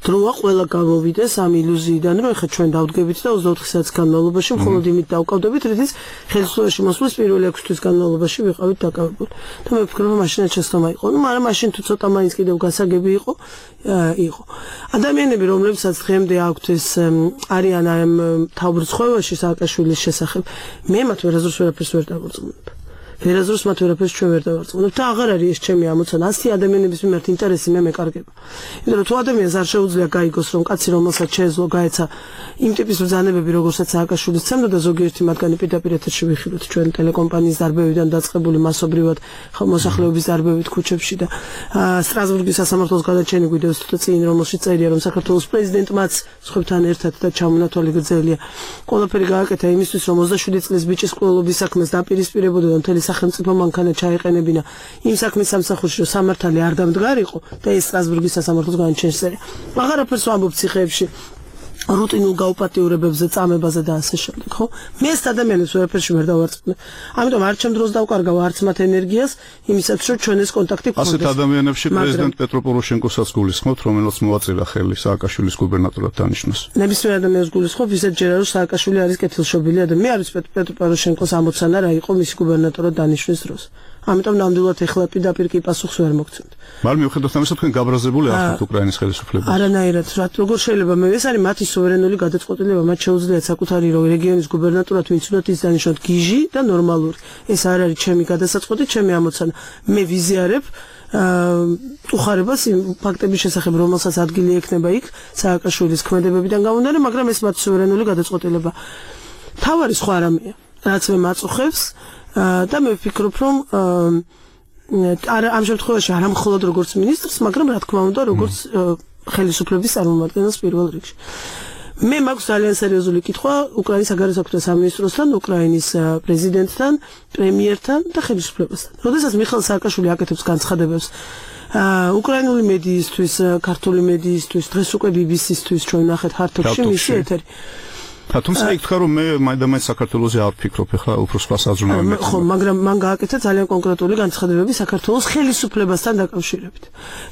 S4: დროა ყველა გამოვიდეს ამ ილუზიიდან, რომ ეხლა ჩვენ დავდგებით და 24 საათის განმავლობაში მხოლოდ იმით დავკავდებით, რითიც ხელისუფლებაში მოსვლის პირველი 6 თვის განმავლობაში ვიყავით დაკავებული. და მე ვფიქრობ, რომ მაშინაც შეცდომა იყო. ნუ მაგრამ მაშინ თუ ცოტა მაინც კიდევ გასაგები იყო. ადამიანები, რომლებსაც დღემდე აქვთ ეს არიან ამ თავბრწყევაში სააკაშვილის შესახებ, მე მათ ვერაზრს ვერაფერს ვერ დავარწმუნებ. ვერაზრს მათ ვერაფერს ჩვენ ვერ დავარწმუნებ და აღარ არის ეს ჩემი ამოცანა. 100 ადამიანების მიმართ ინტერესი მე მეკარგება. იმიტომ რომ თუ ადამიანს არ შეუძლია გაიგოს, რომ კაცი რომელსაც შეეძლო გაეცა იმ ტიპის ბრძანებები, როგორცაც სააკაშვილის ცემდა და ზოგიერთი მათგანი პირდაპირ ეთერში ვიხილოთ ჩვენ ტელეკომპანიის დარბევიდან დაწყებული მასობრივად მოსახლეობის დარბევით ქუჩებში და სტრასბურგის სასამართლოს გადაჩენი გვიდევს თუ წინ რომელშიც წერია, რომ საქართველოს პრეზიდენტმაც სხვებთან ერთად და ჩამონათვალი გრძელია. ყველაფერი გააკეთა იმისთვის, რომ 27 წლის ბიჭის ყოლობის საქმეს დაპირისპირებოდა და მთელი სახელმწიფო მანქანა ჩაეყენებინა იმ საქმის სამსახურში, რომ სამართალი არ დამდგარიყო და ეს სტრასბურგის სასამართლოს განაჩენსერია. აღარაფერს ვამბობ ციხეებში რუტინულ გაუპატიურებებზე, წამებაზე და ასე შემდეგ, ხო? მე ეს ადამიანებს ვერაფერში ვერ დავარწმუნებ. ამიტომ არ ჩემ დროს დავკარგავ არც მათ ენერგიას იმისათვის, რომ ჩვენ ეს კონტაქტი გქონდეს.
S1: ასეთ ადამიანებში პრეზიდენტ პეტრო პოროშენკოსაც გულისხმობთ, რომელიც მოვაწირა ხელი სააკაშვილის გუბერნატორად დანიშნოს.
S4: ნებისმიერ ადამიანს გულისხმობ, ისეთ ჯერა რომ სააკაშვილი არის კეთილშობილი ადამიანი. მე არის პეტრო პოროშენკოს ამოცანა რა იყო მისი გუბერნატორად დანიშვნის დროს. ამიტომ ნამდვილად ეხლა პირდაპირ კი პასუხს ვერ მოგცემთ.
S1: მაგრამ მიუხედავად ამისა, თქვენ გაბრაზებული ახთ უკრაინის ხელისუფლებას.
S4: არანაირად, როგორ შეიძლება მე ეს არის მათი სუვერენული გადაწყვეტილება, მათ შეუძლიათ საკუთარი რეგიონის გუბერნატორად ვინცუდათ ის დანიშნოთ გიჟი და ნორმალური. ეს არ არის ჩემი გადასაწყვეტი, ჩემი ამოცანა. მე ვიზიარებ უხარებას იმ ფაქტების შესახებ, რომელსაც ადგილი ექნება იქ სააკაშვილის ქმედებებიდან გამომდინარე, მაგრამ ეს მათი სუვერენული გადაწყვეტილება. თავარი სხვა რამეა, რაც მე მაწუხებს და მე ვფიქრობ, რომ ამ შემთხვევაში არა მხოლოდ როგორც მინისტრს, მაგრამ რა თქმა უნდა, როგორც ხელისუფლების წარმომადგენელს პირველ რიგში. მე მაქვს ძალიან სერიოზული კითხვა უკრაინის საგარეო საქმეთა სამინისტროსთან, უკრაინის პრეზიდენტთან, პრემიერთან და ხელისუფლებასთან. როდესაც მიხეილ სააკაშვილი აკეთებს განცხადებებს უკრაინული მედიისთვის, ქართული მედიისთვის, დღეს უკვე BBC-ისთვის ჩვენ ნახეთ ჰართოფში მისი ეთერი.
S1: თუმცა ითქვა რომ მე მაინც საქართველოსზე არ ვფიქრობ, ეხლა უფრო სხვა საზრუნავი.
S4: ხო, მაგრამ მან გააკეთა ძალიან კონკრეტული განცხადებები საქართველოს ხელისუფლებასთან დაკავშირებით.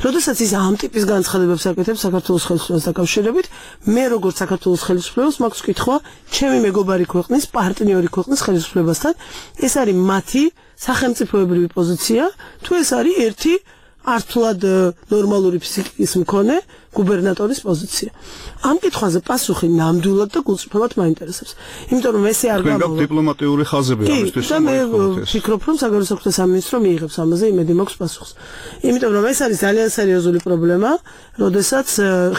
S4: როდესაც ის ამ ტიპის განცხადებებს აკეთებს საქართველოს ხელისუფლებასთან დაკავშირებით, მე როგორც საქართველოს ხელისუფლებას მაქვს კითხვა ჩემი მეგობარი ქვეყნის, პარტნიორი ქვეყნის ხელისუფლებასთან, ეს არის მათი სახელმწიფოებრივი პოზიცია, თუ ეს არის ერთი ართულად ნორმალური ფსიქიკის მქონე გუბერნატორის პოზიცია. ამ კითხვაზე პასუხი ნამდვილად და გულწრფელად მაინტერესებს. იმიტომ რომ ესე არ გამოვა.
S1: დიპლომატიური ხაზები ამისთვის.
S4: და მე ვფიქრობ, რომ საგარეო საქმეთა სამინისტრო მიიღებს ამაზე იმედი მაქვს პასუხს. იმიტომ რომ ეს არის ძალიან სერიოზული პრობლემა, როდესაც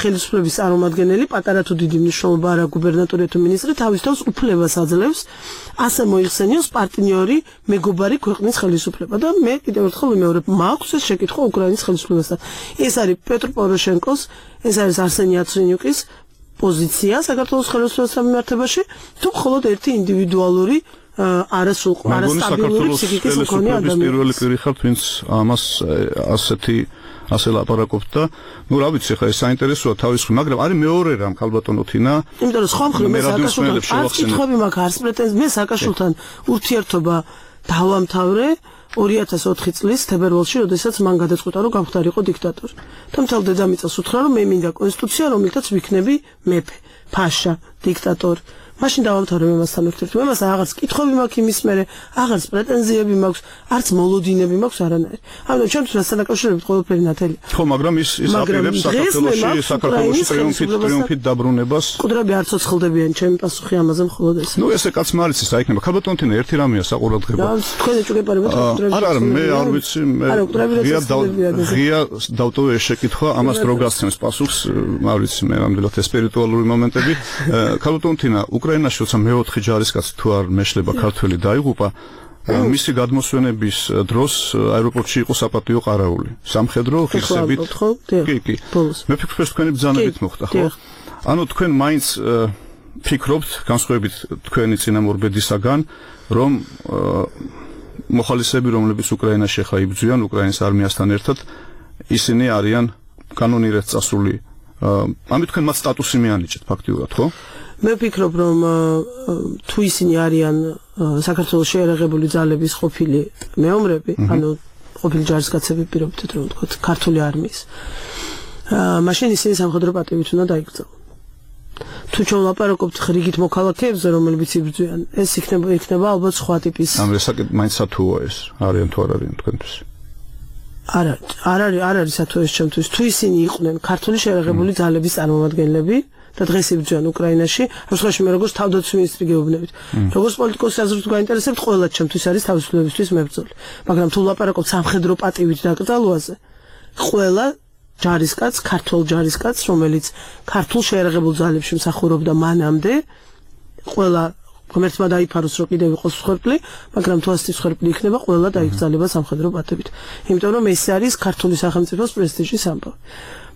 S4: ხელისუფლების წარმომადგენელი, პატარა თუ დიდი მნიშვნელობა არა გუბერნატორი თუ მინისტრი თავის თავს უფლებას აძლევს ასე მოიხსენიოს პარტნიორი მეგობარი ქვეყნის ხელისუფლება და მე კიდევ ერთხელ ვიმეორებ, მაქვს ეს შეკითხვა უკრაინის ხელისუფლებასთან. ეს არის პეტრ პოროშენკოს, ეს არის არსენი იაცრენიუკის პოზიცია საქართველოს ხელისუფლებასთან მიმართებაში, თუ მხოლოდ ერთი ინდივიდუალური არასტაბილური ფსიქიკის მქონე ადამიანი.
S1: პირველი პირი ხართ, ვინც ამას ასე ლაპარაკობთ და ნუ რა ვიცი, ხა ეს საინტერესოა თავისუფლად, მაგრამ არის მეორე რამ ქალბატონო თინა.
S4: იმიტომ რომ სხვა მხრივ მე სააკაშვილთან არც კითხვები მაქვს, არც პრეტენზიები, მე სააკაშვილთან ურთიერთობა დავამთავრე 2004 წლის თებერვალში, როდესაც მან გადაწყვიტა, რომ გამხდარიყო დიქტატორი. და მთელ დედამიწას უთხრა, რომ მე მინდა კონსტიტუცია, რომლითაც ვიქნები მეფე, ფაშა, დიქტატორი. მაშინ დავამთავრე მემასთან ურთიერთობა. მე მას აღარც კითხვები მაქვს იმის მერე, აღარც პრეტენზიები მაქვს, არც მოლოდინები მაქვს არანაირი. ამიტომ ჩემთვის მასთან დაკავშირებით ყველაფერი ნათელია.
S1: ხო, მაგრამ ის აპირებს საქართველოში ტრიუმფით დაბრუნებას.
S4: მკვდრები არ ცოცხლდებიან, ჩემი პასუხი ამაზე მხოლოდ ეს.
S1: ნუ ესე კაც მარიცის რა იქნება. ქალბატონო თინა ერთი რამეა საყურადღებო.
S4: თქვენ ეჭვგებარებთ მკვდრები.
S1: არა, მე არ ვიცი, მე ღია დავტოვე ეს შეკითხვა, ამას დრო გასცემს პასუხს, არ ვიცი, მე ნამდვილად სპირიტუალური მომენტები. ქალბატონო თინა უკრაინაში როცა მეოთხე ჯარისკაცი თუ არ მეშლება ქართველი დაიღუპა, მისი გადმოსვენების დროს აეროპორტში იყო საპატიო ყარაული. სამხედრო ხისებით. კი. მე ვფიქრობ, ეს თქვენი ბრძანებით მოხდა, ხო? ანუ თქვენ მაინც ფიქრობთ, განსხვავებით თქვენი წინამორბედისაგან, რომ მოხალისეები, რომლებიც უკრაინაში ახლა იბრძვიან უკრაინის არმიასთან ერთად, ისინი არიან კანონირად წასული. ამით თქვენ მათ სტატუსი მიანიჭეთ ფაქტიურად, ხო?
S4: მე ვფიქრობ, რომ თუ ისინი არიან საქართველოს შეერაღებული ძალების ყოფილი მეომრები, ანუ ყოფილი ჯარისკაცები პირობითად რომ ვთქვათ, ქართული არმიის, მაშინ ისინი სამხედრო პატივით უნდა დაიკრძალონ. თუ ჩვენ ვლაპარაკობთ რიგით მოქალაქეებზე, რომლებიც იბრძვიან, ეს იქნება ალბათ სხვა ტიპის.
S1: ამ რესაკეთ მაინც სათუოა ეს, არიან თუ არ არიან თქვენთვის?
S4: არ არის სათუო ეს ჩემთვის. თუ ისინი იყვნენ ქართული შეერაღებული ძალების წარმომადგენლები და დღეს იბრძვიან უკრაინაში, ამ შემთხვევაში მე როგორც თავდაცვის მინისტრი გეუბნებით. როგორც პოლიტიკოსი აზრით გაინტერესებთ, ყველა ჩემთვის არის თავისუფლებისთვის მებრძოლი. მაგრამ თუ ვლაპარაკობთ სამხედრო პატივით დაკრძალვაზე, ყველა ჯარისკაც, ქართულ ჯარისკაც, რომელიც ქართულ შეერაღებულ ძალებში მსახურობდა მანამდე, ყველა ღმერთმა დაიფაროს, რომ კიდევ იყოს მსხვერპლი, მაგრამ თუ ასეთი მსხვერპლი იქნება, ყველა დაიკრძალება სამხედრო პატივით. იმიტომ რომ ეს არის ქართული სახელმწიფოს პრესტიჟის ამბავი.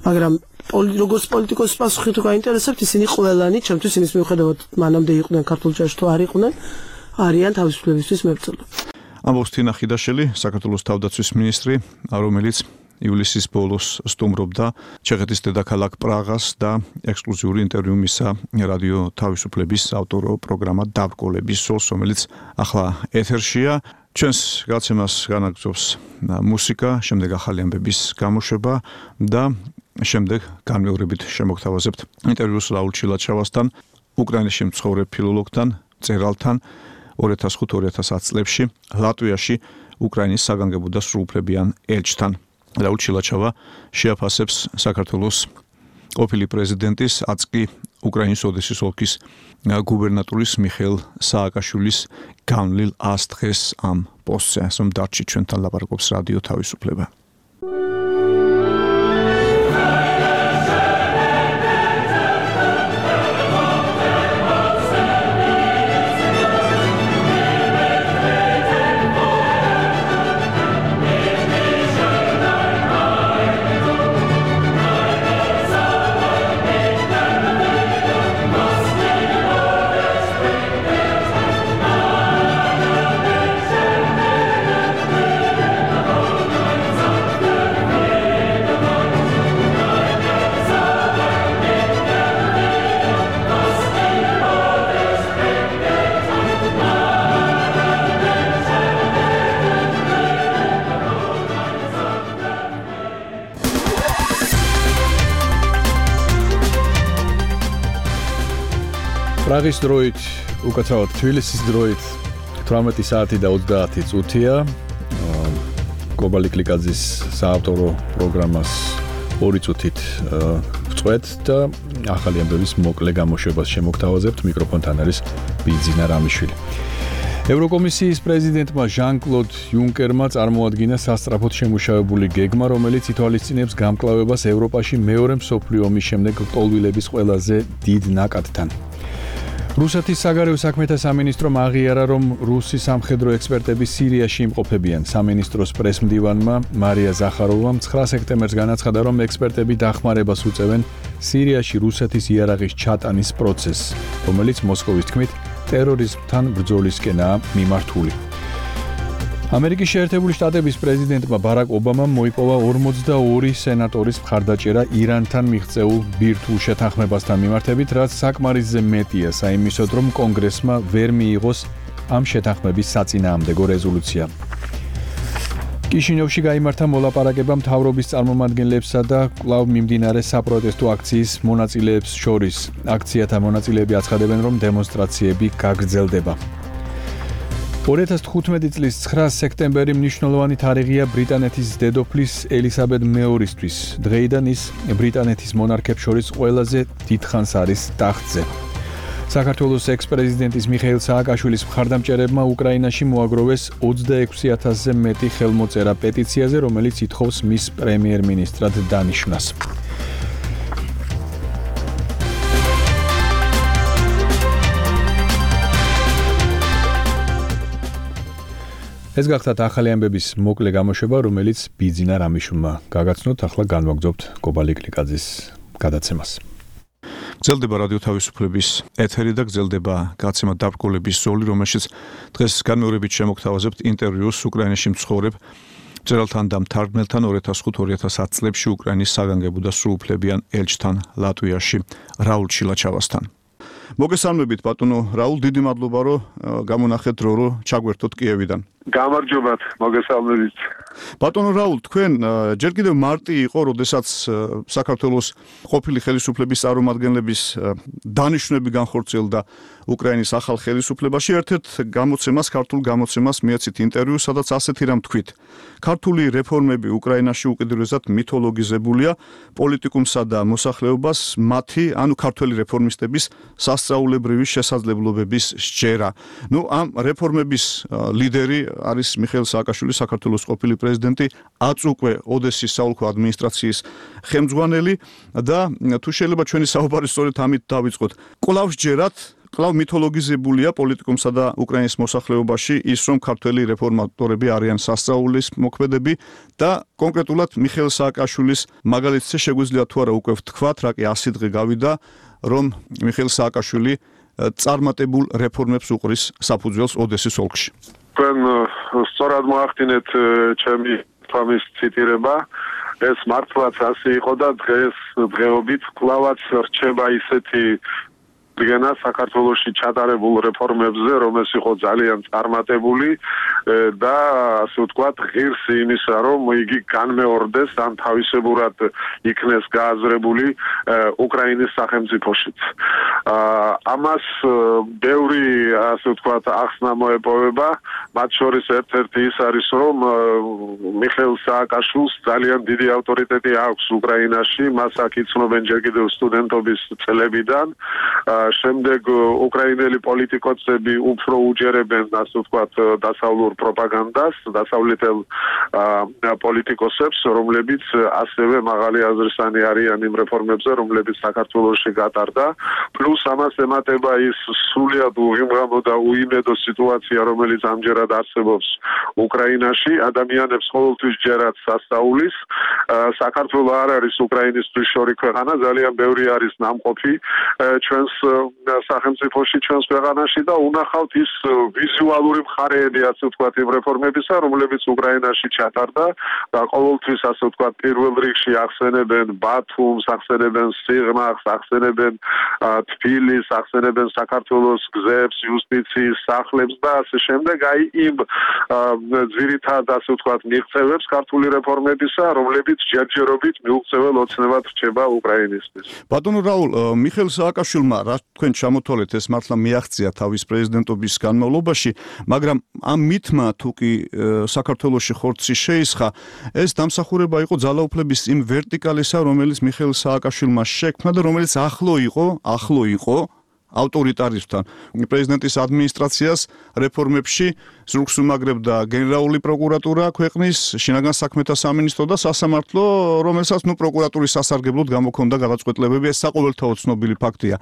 S4: მაგრამ როგორც პოლიტიკოსის პასუხი თუ გაინტერესებთ, ისინი ყველანი, ჩემთვის იმის მიუხედავად, მანამდე იყვნენ ქართულ ჯარში თუ არ იყვნენ, არიან თავისუფლებისთვის მებრძოლები.
S1: ამბობს თინა ხიდაშელი, საქართველოს თავდაცვის მინისტრი, რომელიც ივლისის ბოლოს სტუმრობდა ჩეხეთის დედაქალაქ პრაღას და ექსკლუზიური ინტერვიუ მისცა რადიო თავისუფლების ავტორო პროგრამა დაბრკოლების სოლს, რომელიც ახლა ეთერშია. ჩვენს გადაცემას განაგრძობს მუსიკა, შემდეგ ახალი ამბების გამოშვება და შემდეგ განმეორებით შემოგთავაზებთ ინტერვიუს რაულ ჩილაჩავასთან, უკრაინაში მცხოვრებ ფილოლოგთან, მწერალთან 2005-2010 წლებში ლატვიაში უკრაინის საგანგებო და სრულუფლებიან ელჩთან. რაულ ჩილაჩავა შეაფასებს საქართველოს ყოფილი პრეზიდენტის, აწკი უკრაინის ოდესის ოლქის გუბერნატორის მიხეილ სააკაშვილის განვლილ 100 დღეს ამ პოსტზე, რომ დარჩი ჩვენთან ლაპარაკობს რადიო თავისუფლება.
S7: პრაღის დროით, უკაცრავად თბილისის დროით 18 საათი და 30 წუთია. კობალი კლიკაძის საავტორო პროგრამას 2 წუთით ვწყვეთ და ახალი ამბების მოკლე გამოშვებას შემოგთავაზებთ. მიკროფონთან არის ბიძინა რამიშვილი. ევროკომისიის პრეზიდენტმა ჟან-კლოდ იუნკერმა წარმოადგინა სასწრაფოდ შემუშავებული გეგმა, რომელიც ითვალისწინებს გამკლავებას ევროპაში მეორე მსოფლიო ომის შემდეგ ლტოლვილების ყველაზე დიდ ნაკადთან. რუსეთის საგარეო საქმეთა სამინისტრომ აღიარა, რომ რუსი სამხედრო ექსპერტები სირიაში იმყოფებიან. სამინისტროს პრესმდივანმა მარია ზახაროვამ 9 სექტემბერს განაცხადა, რომ ექსპერტები დახმარებას უწევენ სირიაში რუსეთის იარაღის ჩატანის პროცესს, რომელიც მოსკოვის თქმით ტერორიზმთან ბრძოლისკენაა მიმართული. ამერიკის შეერთებული შტატების პრეზიდენტმა ბარაკ ობამამ მოიპოვა 42 სენატორის მხარდაჭერა ირანთან მიღწეულ ბირთვულ შეთანხმებასთან მიმართებით, რაც საკმარისზე მეტია საიმისოდ, რომ კონგრესმა ვერ მიიღოს ამ შეთანხმების საწინააღმდეგო რეზოლუცია. კიშინიოვში გაიმართა მოლაპარაკება მთავრობის წარმომადგენლებსა და კვლავ მიმდინარე საპროტესტო აქციის მონაწილეებს შორის. აქციათა მონაწილეები აცხადებენ, რომ დემონსტრაციები გაგრძელდება. 2015 წლის 9 სექტემბერი მნიშვნელოვანი თარიღია ბრიტანეთის დედოფლის ელისაბედ მეორისთვის. დღეიდან ის ბრიტანეთის მონარქებს შორის ყველაზე დიდხანს არის ტახტზე. საქართველოს ექს-პრეზიდენტის მიხეილ სააკაშვილის მხარდამჭერებმა უკრაინაში მოაგროვეს 26,000-ზე მეტი ხელმოწერა პეტიციაზე, რომელიც ითხოვს მის პრემიერ-მინისტრად დანიშვნას. ეს გახდათ ახალი ამბების მოკლე გამოშვება, რომელიც ბიძინა რამიშვილმა გაგაცნოთ. ახლა განვაგრძობთ კობალი კლიკაძის გადაცემას.
S1: გრძელდება რადიო თავისუფლების ეთერი და გრძელდება გაცემა დაბრკოლების ზოლი, რომელშიც დღეს განმეორებით შემოგთავაზებთ ინტერვიუს უკრაინაში მცხოვრებ მწერალთან და მთარგმნელთან 2005-2010 წლებში უკრაინის საგანგებო და სრულუფლებიან ელჩთან ლატვიაში რაულ ჩილაჩავასთან. მოგესალმებით ბატონო რაულ, დიდი მადლობა რომ გამონახეთ დრო რომ ჩაგვერთოთ კიევიდან.
S8: გამარჯობათ, მოგესალმებით.
S1: ბატონო რაულ, თქვენ ჯერ კიდევ მარტი იყო, როდესაც საქართველოს ყოფილი ხელისუფლების წარმომადგენლების დანიშვნები განხორციელდა უკრაინის ახალ ხელისუფლებაში. ერთ-ერთ გამოცემას, ქართულ გამოცემას მიეცით ინტერვიუ, სადაც ასეთი რამ თქვით. ქართული რეფორმები უკრაინაში უკიდურესად მითოლოგიზებულია პოლიტიკუმსა და მოსახლეობას მათი, ანუ ქართველი რეფორმისტების სასწაულებრივი შესაძლებლობების სჯერა. ამ რეფორმების ლიდერი არის მიხეილ სააკაშვილი, საქართველოს ყოფილი პრეზიდენტი, აწუკვე ოდესის საოლქო ადმინისტრაციის ხელმძღვანელი და თუ შეიძლება ჩვენი საუბარი სწორედ ამით დავიწყოთ. კვლავ სჯერათ, კვლავ მითოლოგიზებულია პოლიტიკუმსა და უკრაინის მოსახლეობაში ის, რომ ქართველი რეფორმატორები არიან სასწაულის მოქმედები და კონკრეტულად მიხეილ სააკაშვილის მაგალითზე შეგვიძლია თუ არა უკვე ვთქვათ, რა კი 100 დღე გავიდა, რომ მიხეილ სააკაშვილი წარმატებულ რეფორმებს უყრის საფუძველს ოდესის ოლქში.
S8: თქვენ სწორად მოახდინეთ ჩემი თამის ციტირება. ეს მართლაც ასე იყო და დღეობით კვლავაც რჩება ისეთი გენა საქართველოში ჩატარებულ რეფორმებზე, რომელიც იყო ძალიან წარმატებული და ასე ვთქვათ, ღირს იმისა, რომ იგი განმეორდეს ან თავისებურად იქნეს გააზრებული უკრაინის სახელმწიფოშიც. ამას ბევრი, ასე ვთქვათ, ახსნა მოეპოვება, მათ შორის ერთ-ერთი ის არის, რომ მიხეილ სააკაშვილს ძალიან დიდი ავტორიტეტი აქვს უკრაინაში, მას აქ იცნობენ ჯერ კიდევ სტუდენტობის წლებიდან. შემდეგ უკრაინელი პოლიტიკოსები უფრო უჯერებენ, ასე ვთქვათ, დასავლურ პროპაგანდას, დასავლეთელ პოლიტიკოსებს, რომლებიც ასევე მაღალი აზრისანი არიან იმ რეფორმებზე, რომლებიც საქართველოში გატარდა. პლუს ამას ემატება ის სრულიად უღიმღამო და უიმედო სიტუაცია, რომელიც ამჯერად არსებობს უკრაინაში. ადამიანებს ყოველთვის ჯერათ სასწაულის. საქართველო არ არის უკრაინისთვის შორი ქვეყანა, ძალიან ბევრი არის ნამყოფი ჩვენს სახელმწიფოში, ჩვენს ქვეყანაში და უნახავთ ის ვიზუალური მხარეები, ასე ვთქვათ, იმ რეფორმებისა, რომლებიც უკრაინაში ჩატარდა და ყოველთვის, ასე ვთქვათ, პირველ რიგში ახსენებენ ბათუმს, ახსენებენ სიღნაღს, ახსენებენ ფილის, ახსენებენ საქართველოს გზებს, იუსტიციის სახლებს და ასე შემდეგ, აი იმ ძირითად ასე ვთქვათ მიღწევებს ქართული რეფორმებისა, რომლებიც ჯერჯერობით მიუღწეվել ოცნებად რჩება უკრაინისთვის.
S1: ბატონო რაულ, მიხეილ სააკაშვილმა რა თქვენ ჩამოთვალეთ ეს მართლა მიაღწია თავის პრეზიდენტობის განმავლობაში, მაგრამ ამ მითმა თუ კი საქართველოში ხორცი შეისხა, ეს დამსახურება იყო ძალაუფლების იმ ვერტიკალისა, რომელიც მიხეილ სააკაშვილმა შექმნა და რომელიც ახლო იყო ავტორიტარიზმთან. პრეზიდენტის ადმინისტრაციას რეფორმებში ზურგს უმაგრებდა გენერალური პროკურატურა ქვეყნის, შინაგან საქმეთა სამინისტრო და სასამართლო, რომელსაც პროკურატურის სასარგებლოდ გამოქონდა გადაწყვეტილებები, ეს საყოველთაოდ ცნობილი ფაქტია.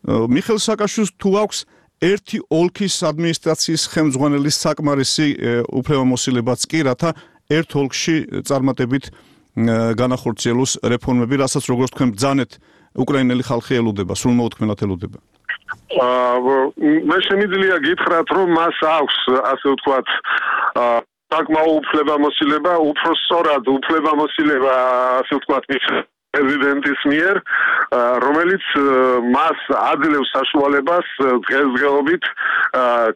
S1: მიხეილ სააკაშვილს თუ აქვს ერთი ოლქის ადმინისტრაციის ხელმძღვანელის საკმარისი უფლებამოსილებაც კი, რათა ერთ ოლქში წარმატებით განახორციელოს რეფორმები, რასაც როგორც თქვენ ბრძანეთ, უკრაინელი ხალხი ელოდება, სრულმოუთქმელად ელოდება.
S8: მე შემიძლია გითხრათ, რომ მას აქვს, ასე ვთქვათ, საკმაო უფლებამოსილება, უფრო სწორად უფლებამოსილება, ასე ვთქვათ, პრეზიდენტის მიერ, რომელიც მას აძლევს საშუალებას დღესდღეობით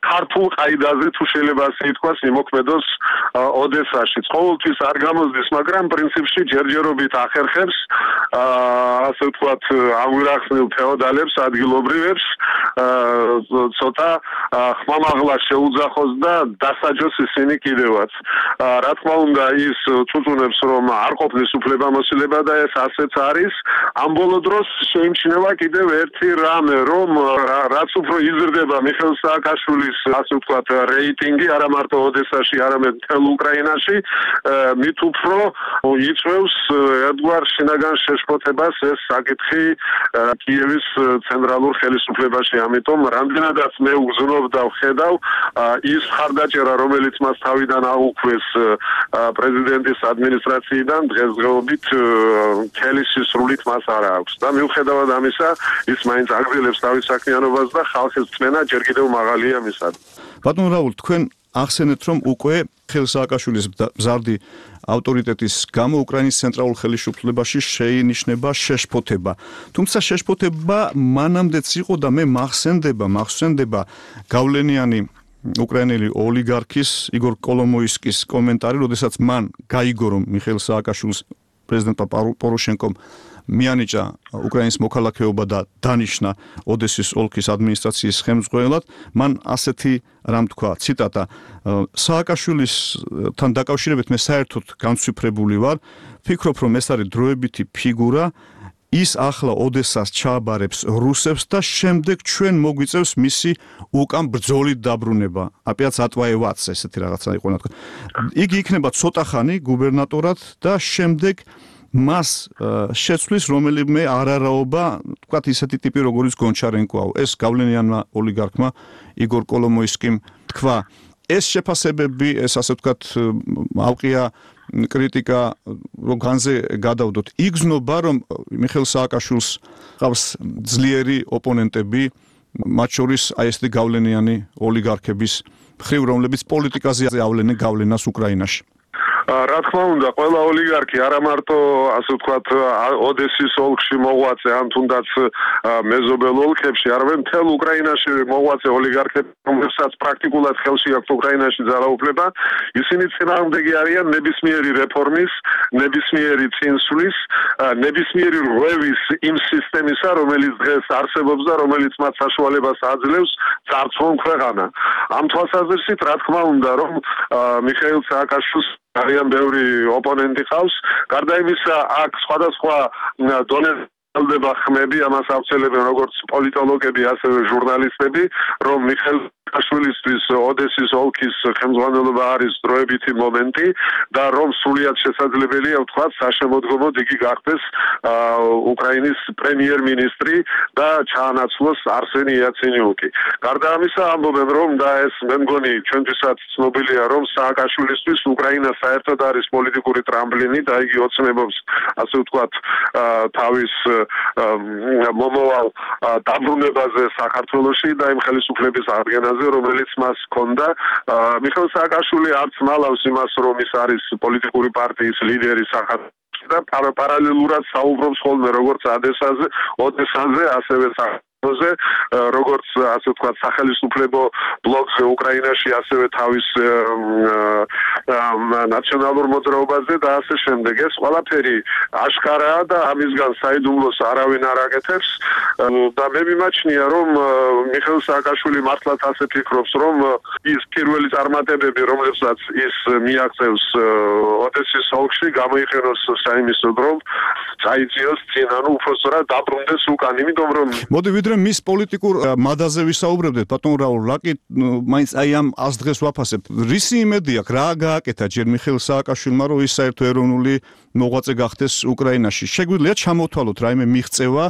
S8: ქართულ ყაიდაზე თუ შეიძლება ასე ითქვას, იმოქმედოს ოდესაში. ყოველთვის არ გამოსდის, მაგრამ პრინციპში ჯერჯერობით ახერხებს ასე ვთქვათ, ამგვარახსნილ ფეოდალებს, ადგილობრივებს ცოტა ხმამაღლა შეუძახოს და დასაჯოს ისინი კიდევაც. რა თქმა უნდა, ის წუწუნებს, რომ არ ყოფნის უფლებამოსილება და ეს ასეც არის. ამ ბოლო დროს შეიმჩნევა კიდევ ერთი რამე, რომ რაც უფრო იზრდება მიხეილ სააკაშვილის, ასე ვთქვათ, რეიტინგი, არა მარტო ოდესაში, არამედ მთელ უკრაინაში, მით უფრო იწვევს ერთგვარ შინაგან შეშფოთებას ეს საკითხი კიევის ცენტრალურ ხელისუფლებაში. ამიტომ რამდენადაც მე უგზნობ და ვხედავ, ის ხარდაჭერა, რომელიც მას თავიდან აუქვეს პრეზიდენტის ადმინისტრაციიდან, დღესდღეობით მთელი სისრულით მას არ აქვს. და მიუხედავად ამისა, ის მაინც აგრძელებს თავის საქმიანობას და ხალხის წმენა ჯერ კიდევ მაღალია მისად.
S1: ბატონო რაულ, თქვენ ახსენეთ, რომ უკვე მიხეილ სააკაშვილის მზარდი ავტორიტეტის გამო უკრაინის ცენტრალურ ხელისუფლებაში შეინიშნება შეშფოთება. თუმცა შეშფოთება მანამდეც იყო და მე მახსენდება გავლენიანი უკრაინელი ოლიგარქის იგორ კოლომოისკის კომენტარი, როდესაც მან გაიგო, რომ მიხეილ სააკაშვილს პრეზიდენტ პოროშენკომ მიანიჭა უკრაინის მოქალაქეობა და დანიშნა ოდესის ოლქის ადმინისტრაციის ხელმძღვანელად, მან ასეთი რამ თქვა, ციტატა: სააკაშვილისთან დაკავშირებით მე საერთოდ განცვიფრებული ვარ, ფიქრობ, რომ ეს არის დროებითი ფიგურა, ის ახლა ოდესას ჩააბარებს რუსებს და შემდეგ ჩვენ მოგვიწევს მისი უკან ბრძოლით დაბრუნება. აპიაც ატვაევაც ესეთი რაღაცა იყო თქვა. იგი იქნება ცოტა ხანი გუბერნატორად და შემდეგ მას შეცვლის რომელიმე არარაობა, თქვათ ისეთი ტიპი როგორც გონჩარენკოა. ეს გავლენიანმა ოლიგარქმა იგორ კოლომოისკიმ თქვა. ეს შეფასებები, ეს ასე ვთქვათ, ავყია კრიტიკა, რომ განზე გადავდოთ. იგზნობა, რომ მიხეილ სააკაშვილს ყავს ძლიერი ოპონენტები, მათ შორის აი ესეთი გავლენიანი ოლიგარქების მხრივ, რომლებიც პოლიტიკაზე ავლენენ გავლენას უკრაინაში.
S8: რა თქმა უნდა, ყველა ოლიგარქი არა მარტო ასე ვთქვათ ოდესის ოლქში მოღვაწე, ან თუნდაც მეზობელ ოლქებში, არამედ მთელ უკრაინაში მოღვაწე ოლიგარქები, რომლებსაც პრაქტიკულად ხელში აქვს უკრაინაში ძალაუფლება, ისინი წინააღმდეგი არიან ნებისმიერი რეფორმის, ნებისმიერი წინსვლის, ნებისმიერი რღვევის იმ სისტემისა, რომელიც დღეს არსებობს და რომელიც მათ საშუალებას აძლევს წარსულს ქვეყანა. ამ თვალსაზრისით, რა თქმა უნდა, რომ მიხეილ სააკაშვილს არიან ბევრი ოპონენტი ყავს. გარდა იმისა, აქ სხვადასხვა დონეზე ელდება ხმები, ამას ავრცელებენ როგორც პოლიტოლოგები, ასევე ჟურნალისტები, რომ მიხეილ სააკაშვილისთვის ოდესის ოლქის ხელმძღვანელობა არის დროებითი მომენტი და რომ სრულიად შესაძლებელია ვთქვათ, საშემოდგომოდ იგი გახდეს უკრაინის პრემიერ-მინისტრი და ჩაანაცვლოს არსენი იაცენიუკი. გარდა ამისა, ამბობენ, რომ და ეს მე მგონი ჩვენთვისაც ცნობილია, რომ სააკაშვილისთვის უკრაინა საერთოდ არის პოლიტიკური ტრამპლინი და იგი ოცნებობს, ასე ვთქვათ, თავის მომავალ დაბრუნებაზე საქართველოში და იმ ხელისუფლების აღდგენაზე, რომელიც მას ჰქონდა. მიხეილ სააკაშვილი არც მალავს იმას, რომ ის არის პოლიტიკური პარტიის ლიდერი საქართველოში და პარალელურად საუბრობს ხოლმე როგორც ოდესაზე, ასევე როგორც ასე ვთქვათ სახელმწიფო ბლოკზე უკრაინაში, ასევე თავის ნაციონალურ მოძრაობაზე და ასე შემდეგ. ეს ყველაფერი აშკარაა და ამისგან საიდუმლოს არავინ არ აკეთებს და მე მიმაჩნია, რომ მიხეილ სააკაშვილი მართლაც ასე ფიქრობს, რომ ის პირველი წარმატებები, რომლებსაც ის მიაღწევს ოდესის ოლქში, გამოიყენოს საიმისოდ, რომ წაიწიოს წინ, ანუ უბრალოდ დაბრუნდეს უკან, იმიტომ რომ
S1: მოდი ვიდრე მის პოლიტიკურ მადაზე ვისაუბრებდეთ, ბატონ რაულ ლაკი, მაინც აი ამ 100 დღეს ვაფასებთ. რისი იმედი აქვს, რა გააკეთა ჯერ მიხეილ სააკაშვილმა, რომ ის საერთო ეროვნული მოღვაწე გახდეს უკრაინაში? შეგვიძლია ჩამოვთვალოთ რაიმე მიღწევა?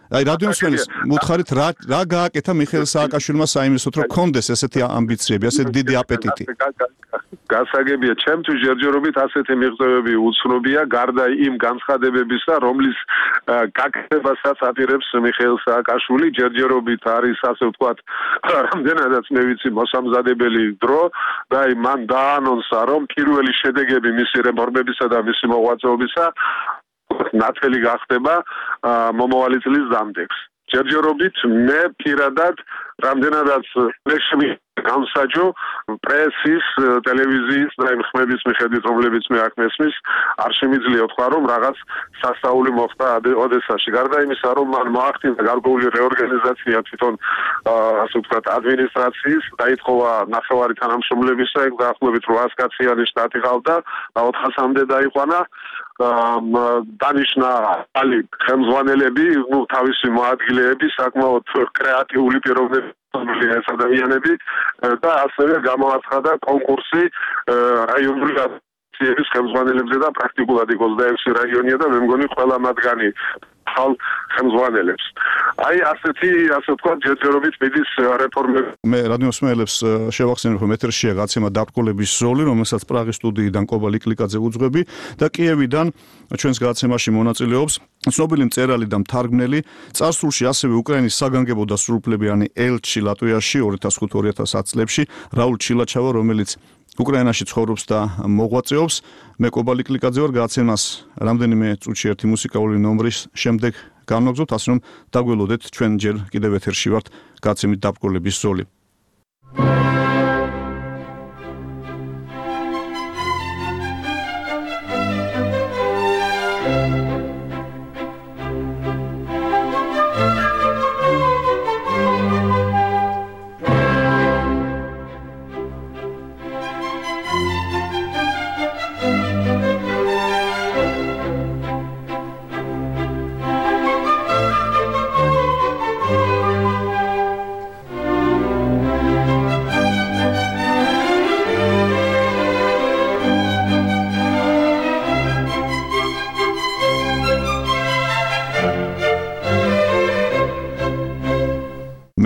S1: აი რადიოსმენის მოთხარით რა გააკეთა მიხეილ სააკაშვილმა საიმისოდ, რომ კონდეს ესეთი ამბიციები, ასეთი დიდი აპეტიტი?
S8: გასაგებია, ჩემთვის ჯერჯერობით ასეთი მიღწევები უცნობია, გარდა იმ განცხადებებისა, რომლის გაკეთებასაც აპირებს მიხეილ სააკაშვილი, ჯერჯერობით არის, ასე ვთქვათ, რამდენადაც მე ვიცი, მოსამზადებელი დრო და აი მან დაანონსა, რომ პირველი შედეგები მისი რეფორმებისა და მისი მოღვაწეობისა ნათელი გახდება მომავალი წლის დამდეგს. ჯერჯერობით მე პირადად რამდენადაც ლექსები გამსაჯო პრესის, ტელევიზიის და იმ ხმების მიხედვით, რომლებიც მე აქ მესმის, არ შემიძლია თქვა, რომ რაღაც სასწაული მოხდა ოდესაში. გარდა იმისა, რომ მან მოახდინა გარკვეული რეორგანიზაცია თვითონ ასე ვთქვათ ადმინისტრაციის, დაითხოვა ნახევარი თანამშრომლებისა, ეგ დაახლოებით 800 კაციანი შტატი ყავდა და 400-მდე დაიყვანა. დანიშნა ალი ხელმძღვანელები, თავისი მოადგილეები, საკმაოდ კრეატიული პიროვნებები ეს ადამიანები და ასევე გამოაცხადა კონკურსი რაიონული აქტიების ხელმძღვანელებზე და პრაქტიკულად 26 რაიონია და მე მგონი ყველა მათგანი ხალ ხელმძღვანელებს. აი ასეთი, ასე ვთქვათ, ჯერჯერობით მიდის რეფორმები.
S1: მე რადიოსმენელებს შევახსენებ, რომ ეთერშია გაცემა დაბრკოლების ზოლი, რომელსაც პრაღის სტუდიიდან კობა ლიკლიკაძე უძღვები და კიევიდან ჩვენს გაცემაში მონაწილეობს ცნობილი მწერალი და მთარგმნელი, წარსულში ასევე უკრაინის საგანგებო და სრულუფლებიანი ელჩი ლატვიაში 2005-2010 წლებში რაულ ჩილაჩავა, რომელიც უკრაინაში ცხოვრობს და მოღვაწეობს. მე კობა ლიკლიკაძე ვარ, გაცემას რამდენიმე წუთში ერთი მუსიკალური ნომრის შემდეგ განვაგზავნებთ, ასე რომ დაგველოდეთ, ჩვენ ჯერ კიდევ ეთერში ვართ გაცემით დაბრკოლების ზოლი.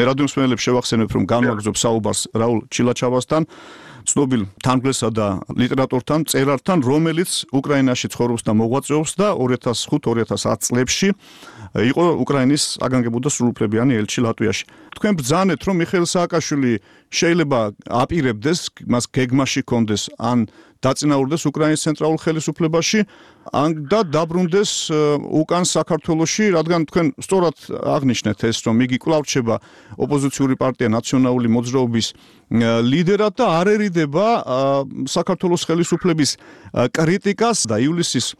S1: მე რადიოსმენელებს შევახსენებ, რომ განვაგრძობ საუბარს რაულ ჩილაჩავასთან, ცნობილ თარგმნელსა და ლიტერატორთან, მწერალთან, რომელიც უკრაინაში ცხოვრობს და მოღვაწეობს და 2005-2010 წლებში იყო უკრაინის საგანგებო და სრულუფლებიანი ელჩი ლატვიაში. თქვენ ბრძანეთ, რომ მიხეილ სააკაშვილი შეიძლება აპირებდეს, მას გეგმაში კონდეს ან დაწინაურდეს უკრაინის ცენტრალურ ხელისუფლებაში, ან და დაბრუნდეს უკან საქართველოში, რადგან თქვენ სწორად აღნიშნეთ ეს, რომ იგი კვლავ რჩება ოპოზიციური პარტია ნაციონალური მოძრაობის ლიდერად და არ ერიდება საქართველოს ხელისუფლების კრიტიკას და ივლისის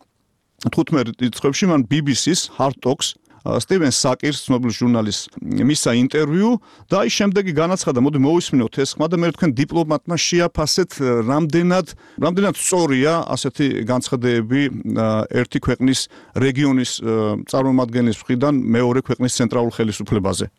S1: 15 რიცხვებში მან BBC-ს Hard Talks სტივენ საკირს, ცნობილ ჟურნალისტს მისცა ინტერვიუ და აი შემდეგი განაცხადა, მოდი მოვისმინოთ ეს ხმა და მე თქვენ დიპლომატმა შეაფასეთ, რამდენად სწორია ასეთი განცხადებები ერთი ქვეყნის რეგიონის წარმომადგენლის მხრიდან მეორე ქვეყნის ცენტრალურ ხელისუფლებაზე.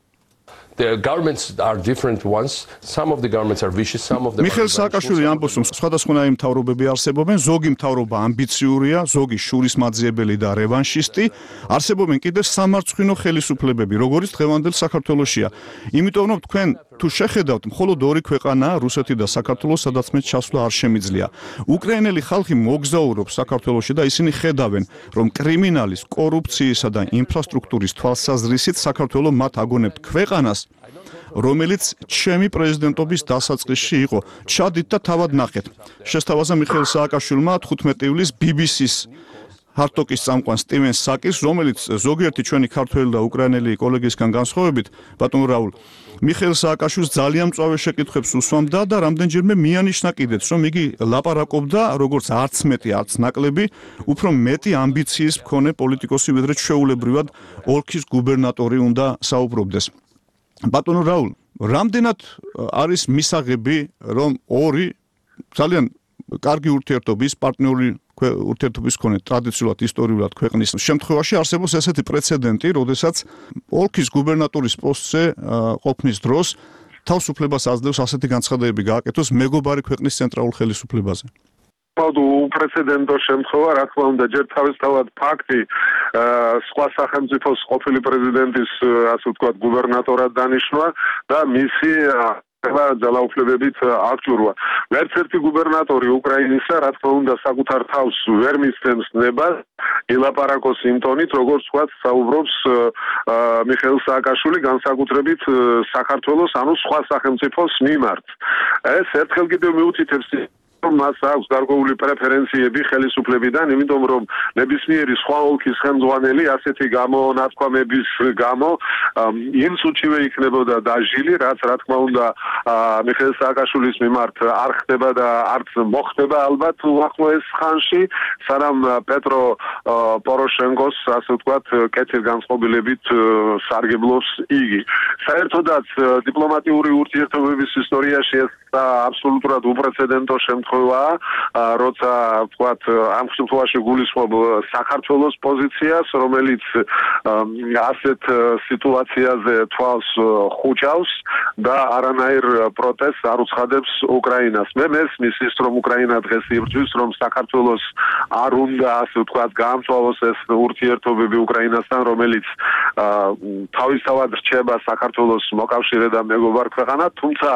S5: The governments are different ones. Some of the governments are vicious, some of them
S1: მიხეილ სააკაშვილი ამბობს, რომ სხვადასხვანაირი მთავრობები არსებობენ, ზოგი მთავრობა ამბიციურია, ზოგი შურისმაძიებელი და რევანშისტი, არსებობენ კიდევ სამარცხვინო ხელისუფლებები, როგორც დღევანდელ საქართველოშია. იმიტომ რომ თქვენ თუ შეხედავთ, მხოლოდ ორი ქვეყანაა, რუსეთი და საქართველო, სადაც მე ჩასვლა არ შემიძლია. უკრაინელი ხალხი მოგზაურობს საქართველოში და ისინი ხედავენ, რომ კრიმინალის, კორუფციისა და ინფრასტრუქტურის თვალსაზრისით საქართველო მათ აგონებთ ქვეყანას, რომელიც ჩემი პრეზიდენტობის დასაწყისში იყო. ჩადით და თავად ნახეთ. შესთავაზა მიხეილ სააკაშვილმა 15 ივლისს BBC-ს ჰარტოკის წამყვან სტივენ საკის, რომელიც ზოგიერთი ჩვენი ქართველი და უკრაინელი კოლეგისგან განსხვავებით, ბატონ რაულ, მიხეილ სააკაშვილს ძალიან მწვავე შეკითხვებს უსვამდა და რამდენჯერმე მიანიშნა კიდეც, რომ იგი ლაპარაკობდა როგორც არც მეტი, არც ნაკლები, უფრო მეტი ამბიციის მქონე პოლიტიკოსი, ვიდრე ჩვეულებრივად ოლქის გუბერნატორი უნდა საუბრობდეს. ბატონო რაულ, რამდენად არის მისაღები, რომ ორი ძალიან კარგი ურთიერთობის, პარტნიორი ურთიერთობის მქონე ტრადიციულად ისტორიულად ქვეყნის შემთხვევაში არსებობს ესეთი პრეცედენტი, როდესაც ოლქის გუბერნატორის პოსტზე ყოფნის დროს თავისუფლებას აძლევს ასეთი განცხადებები გააკეთოს მეგობარი ქვეყნის ცენტრალურ ხელისუფლებაზე.
S8: უპრეცედენტო შემთხვევა, რა თქმა უნდა, ჯერ თავისთავად ფაქტი სხვა სახელმწიფოს ყოფილი პრეზიდენტის, ასე ვთქვათ, გუბერნატორად დანიშნვა და მისი ძალაუფლებებით აღჭურვა. ერთ-ერთი გუბერნატორი უკრაინისა, რა თქმა უნდა, საკუთარ თავს ვერ მისცემს ნებას ილაპარაკოს იმ ტონით, როგორც ვთქვათ, საუბრობს მიხეილ სააკაშვილი განსაკუთრებით საქართველოს, ანუ სხვა სახელმწიფოს მიმართ. ეს ერთხელ კიდევ მიუთითებს მას აქვს გარკვეული პრეფერენციები ხელისუფლებიდან, იმიტომ რომ ნებისმიერი სხვა ოლქის ხელმძღვანელი ასეთი გამონათქვამების გამო იმ სუჩივე იქნებოდა დაჟილი, რაც რა თქმა უნდა მიხეილ სააკაშვილის მიმართ არ ხდება და არც მოხდება ალბათ უახლოეს ხანში, სანამ პეტრო პოროშენკოს, ასე ვთქვათ, კეთილგანწყობილებით სარგებლობს იგი. საერთოდაც დიპლომატიური ურთიერთობების ისტორიაში ეს აბსოლუტურად უპრეცედენტო შემთხვევაა, როცა ვთქვათ, ამ შემთხვევაში გულისხმობ საქართველოს პოზიციას, რომელიც ასეთ სიტუაციაზე თვალს ხუჭავს და არანაირ პროტესტს არ უცხადებს უკრაინას. მე მესმის ის, რომ უკრაინა დღეს იბრძვის, რომ საქართველოს არ უნდა, ასე ვთქვათ, გაამწვავოს ეს ურთიერთობები უკრაინასთან, რომელიც თავისთავად რჩება საქართველოს მოკავშირე და მეგობარ ქვეყანა, თუმცა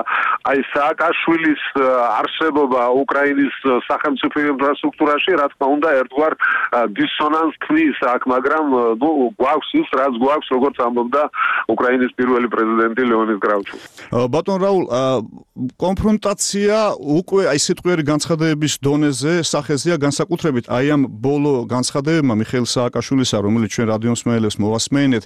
S8: აი სააკაშვილის არსებობა უკრაინის სახელმწიფო ინფრასტრუქტურაში, რა თქმა უნდა, ერთგვარ დისონანსს ქმნის აქ, მაგრამ გვაქვს ის, რაც გვაქვს, როგორც ამბობდა უკრაინის პირველი პრეზიდენტი ლეონიდ კრავჩუკი.
S1: ბატონ რაულ, კონფრონტაცია უკვე აი სიტყვიერი განცხადებების დონეზე სახეზეა, განსაკუთრებით აი ამ ბოლო განცხადებებმა მიხეილ სააკაშვილისა, რომელიც ჩვენ რადიო მსმენელებს მოვასმენეთ,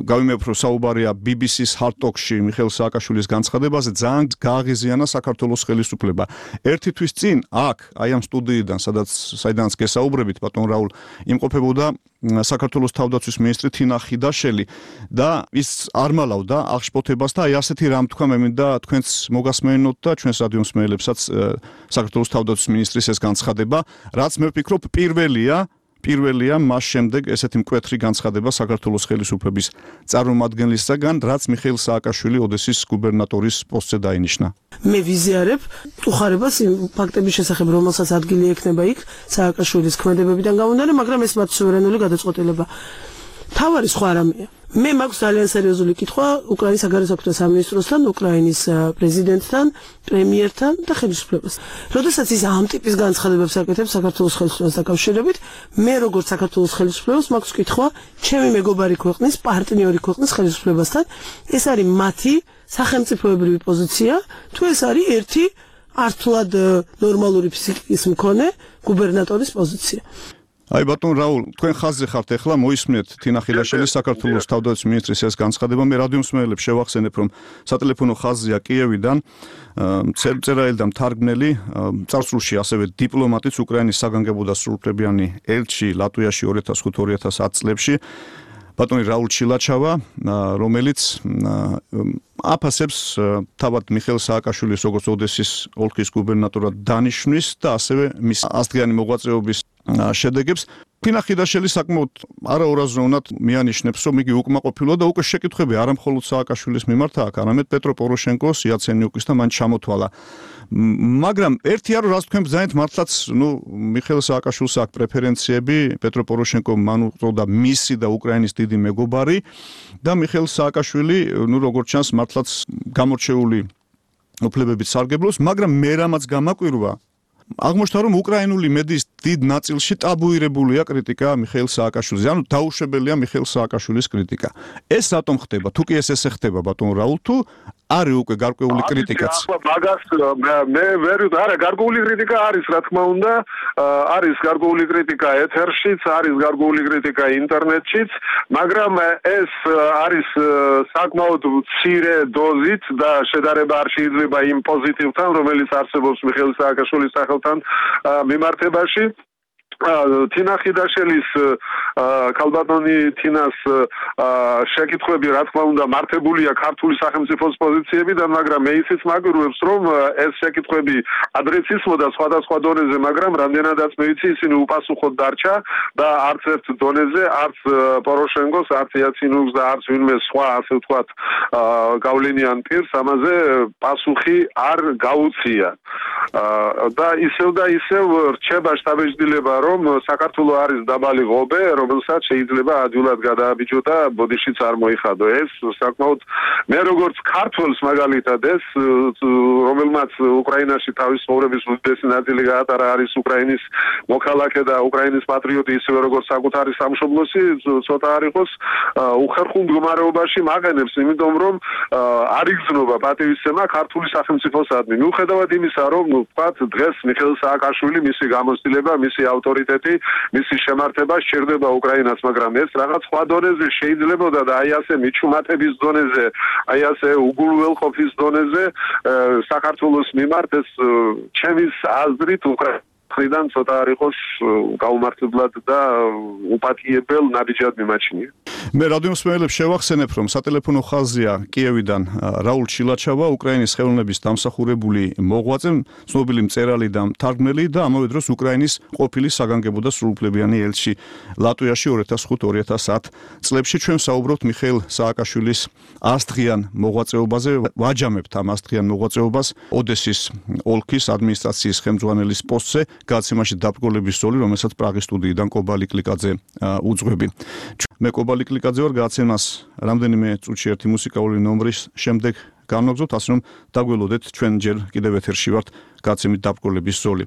S1: გავიმეორებ, რომ საუბარია BBC-ს ჰარტოკში მიხეილ სააკაშვილის განცხადებაზე, ძალიან გააღიზიანა საქართველოს ხელისუფლება. ერთი თვის წინ აქ, აი ამ სტუდიიდან, საიდანაც გესაუბრებით, ბატონ რაულ, იმყოფებოდა საქართველოს თავდაცვის მინისტრი თინა ხიდაშელი და ის არ მალავდა აღშფოთებას და აი ასეთი რამ თქვა, მე მინდა თქვენც მოგასმენოთ და ჩვენს რადიო მსმენელებსაც საქართველოს თავდაცვის მინისტრის ეს განცხადება, რაც მე ვფიქრობ პირველია მას შემდეგ ესეთი მკვეთრი განცხადება საქართველოს ხელისუფლების წარმომადგენლისაგან, რაც მიხეილ სააკაშვილი ოდესის გუბერნატორის პოსტზე დაინიშნა.
S4: მე ვიზიარებ უხარებას იმ ფაქტების შესახებ, რომელსაც ადგილი ექნება იქ სააკაშვილის ქმედებებიდან გამომდინარე, მაგრამ ეს მათ სუვერენული გადაწყვეტილება. თავარი სხვა რამეა. მე მაქვს ძალიან სერიოზული კითხვა უკრაინის საგარეო საქმეთა სამინისტროსთან, უკრაინის პრეზიდენტთან, პრემიერთან და ხელისუფლებასთან. როდესაც ის ამ ტიპის განცხადებებს აკეთებს საქართველოს ხელისუფლებას დაკავშირებით, მე როგორც საქართველოს ხელისუფლებას მაქვს კითხვა ჩემი მეგობარი ქვეყნის, პარტნიორი ქვეყნის ხელისუფლებასთან, ეს არის მათი სახელმწიფოებრივი პოზიცია, თუ ეს არის ერთი ართულად ნორმალური ფსიქიკის მქონე გუბერნატორის პოზიცია.
S1: აი ბატონ რაულ, თქვენ ხაზზე ხართ ახლა, მოისმენთ თინა ხიდაშელის საქართველოს თავდაცვის მინისტრის ეს განცხადება. მე რადიო მსმენელებს შევახსენებ, რომ სატელეფონო ხაზია კიევიდან წერაელი და მთარგმნელი, წარსულში ასევე დიპლომატიც, უკრაინის საგანგებო და სრულუფლებიანი ელჩი ლატვიაში 2005-2010 წლებში, ბატონი რაულ ჩილაჩავა, რომელიც აფასებს თავად მიხეილ სააკაშვილის როგორც ოდესის ოლქის გუბერნატორად დანიშვნის და ასევე მის ასდღიანი მოღვაწეობის შედეგებს. თინა ხიდაშელი საკმაოდ არაურაზროვნად მიანიშნებს, რომ იგი უკმაყოფილოა და უკვე შეკითხვები არა მხოლოდ სააკაშვილის მიმართ აქვს, არამედ პეტრო პოროშენკოს, იაცენიუკის და მან ჩამოთვალა. მაგრამ ერთი არის, რაც თქვენ ბრძანეთ, მართლაც, მიხეილ სააკაშვილს აქვს პრეფერენციები, პეტრო პოროშენკო მან უწოდა მისი და უკრაინის დიდი მეგობარი და მიხეილ სააკაშვილი, როგორც ჩანს, მართლაც გამორჩეული უფლებებით სარგებლობს, მაგრამ მე რამაც გამაკვირვა, აღმოჩნდა, რომ უკრაინული მედიის დიდ ნაწილში ტაბუირებულია კრიტიკა მიხეილ სააკაშვილის. ანუ დაუშვებელია მიხეილ სააკაშვილის კრიტიკა. ეს რატომ ხდება? თუ კი ესე ხდება ბატონ რაულ, თუ არის უკვე გარკვეული კრიტიკაც.
S8: მაგას მე ვერ არა გარკვეული კრიტიკა არის, რა თქმა უნდა, არის გარკვეული კრიტიკა ეთერშიც, არის გარკვეული კრიტიკა ინტერნეტშიც, მაგრამ ეს არის საკმაოდ მცირე დოზით და შედარება არ შეიძლება იმ პოზიტივთან, რომელიც არსებობს მიხეილ სააკაშვილის სახელთან მიმართებაში. თინა ხიდაშელის ქალბატონი თინას შეკითხვები რა თქმა უნდა მართებულია ქართული სახელმწიფოს პოზიციებიდან, მაგრამ მე ისიც მაგვირუებს, რომ ეს შეკითხვები ადრეცისმოდა სხვადასხვა დონეზე, მაგრამ რამდენადაც მე ვიცი, ისინი უპასუხოდ დარჩა და არც ერთ დონეზე, არც პოროშენკოს, არც იაცინუს და არც ვინმე სხვა, ასე ვთქვათ, გავლენიან პირს ამაზე პასუხი არ გაუწია. და ისევ რჩება შტაბ-ბიჭდილება, რომ საქართველო არის დაბალი ღობე, რომელსაც შეიძლება ადვილად გადააბიჯო და ბოდიშიც არ მოიხადო. ეს საკმაოდ მე როგორც ქართველს მაგალითად ეს რომელმაც უკრაინაში თავის ცხოვრების უდიდესი ნაწილი გაატარა არის უკრაინის მოქალაქე და უკრაინის პატრიოტი, ისევე როგორც საკუთარი სამშობლოსი, ცოტა არ იყოს უხერხულ მდგომარეობაში მაყენებს, იმიტომ რომ არ იგრძნობა პატივისცემა ქართული სახელმწიფოსადმი. მიუხედავად იმისა, რომ ვთქვათ, დღეს მიხეილ სააკაშვილი, მისი გამოცდილება, მისი ავტორიტეტი, მისი შემართება სჭირდება უკრაინას, მაგრამ ეს რაღაც სხვა დონეზე შეიძლებოდა და აი ასე მიჩუმატების დონეზე, აი ასე უგულველყოფის დონეზე საქართველოს მიმართ ეს ჩემის აზრით უკრაინიდან ცოტა არ იყოს გაუმართლებლად და უპატიებელ ნაბიჯად მიმაჩნია.
S1: მე რადიო მსმენელებს შევახსენებ, რომ სატელეფონო ხაზია კიევიდან რაულ ჩილაჩავა, უკრაინის ხელოვნების დამსახურებული მოღვაწე, ცნობილი მწერალი და მთარგმნელი და ამავე დროს უკრაინის ყოფილი საგანგებო და სრულუფლებიანი ელჩი ლატვიაში 2005-2010 წლებში. ჩვენ საუბრობთ მიხეილ სააკაშვილის 100 დღიან მოღვაწეობაზე, ვაჯამებთ ამ 100 დღიან მოღვაწეობას ოდესის ოლქის ადმინისტრაციის ხელმძღვანელის პოსტზე, გადაცემაში დაბრკოლების ზოლი, რომელსაც პრაღის სტუდიიდან კობა ლიკლიკაძე უძღვები. მე კობა ლიკლიკაძე ვარ, გადაცემას რამდენიმე წუთში ერთი მუსიკალური ნომრის შემდეგ განვაგრძობთ, ასე რომ დაგველოდეთ, ჩვენ ჯერ კიდევ ეთერში ვართ გადაცემით დაბრკოლების ზოლი.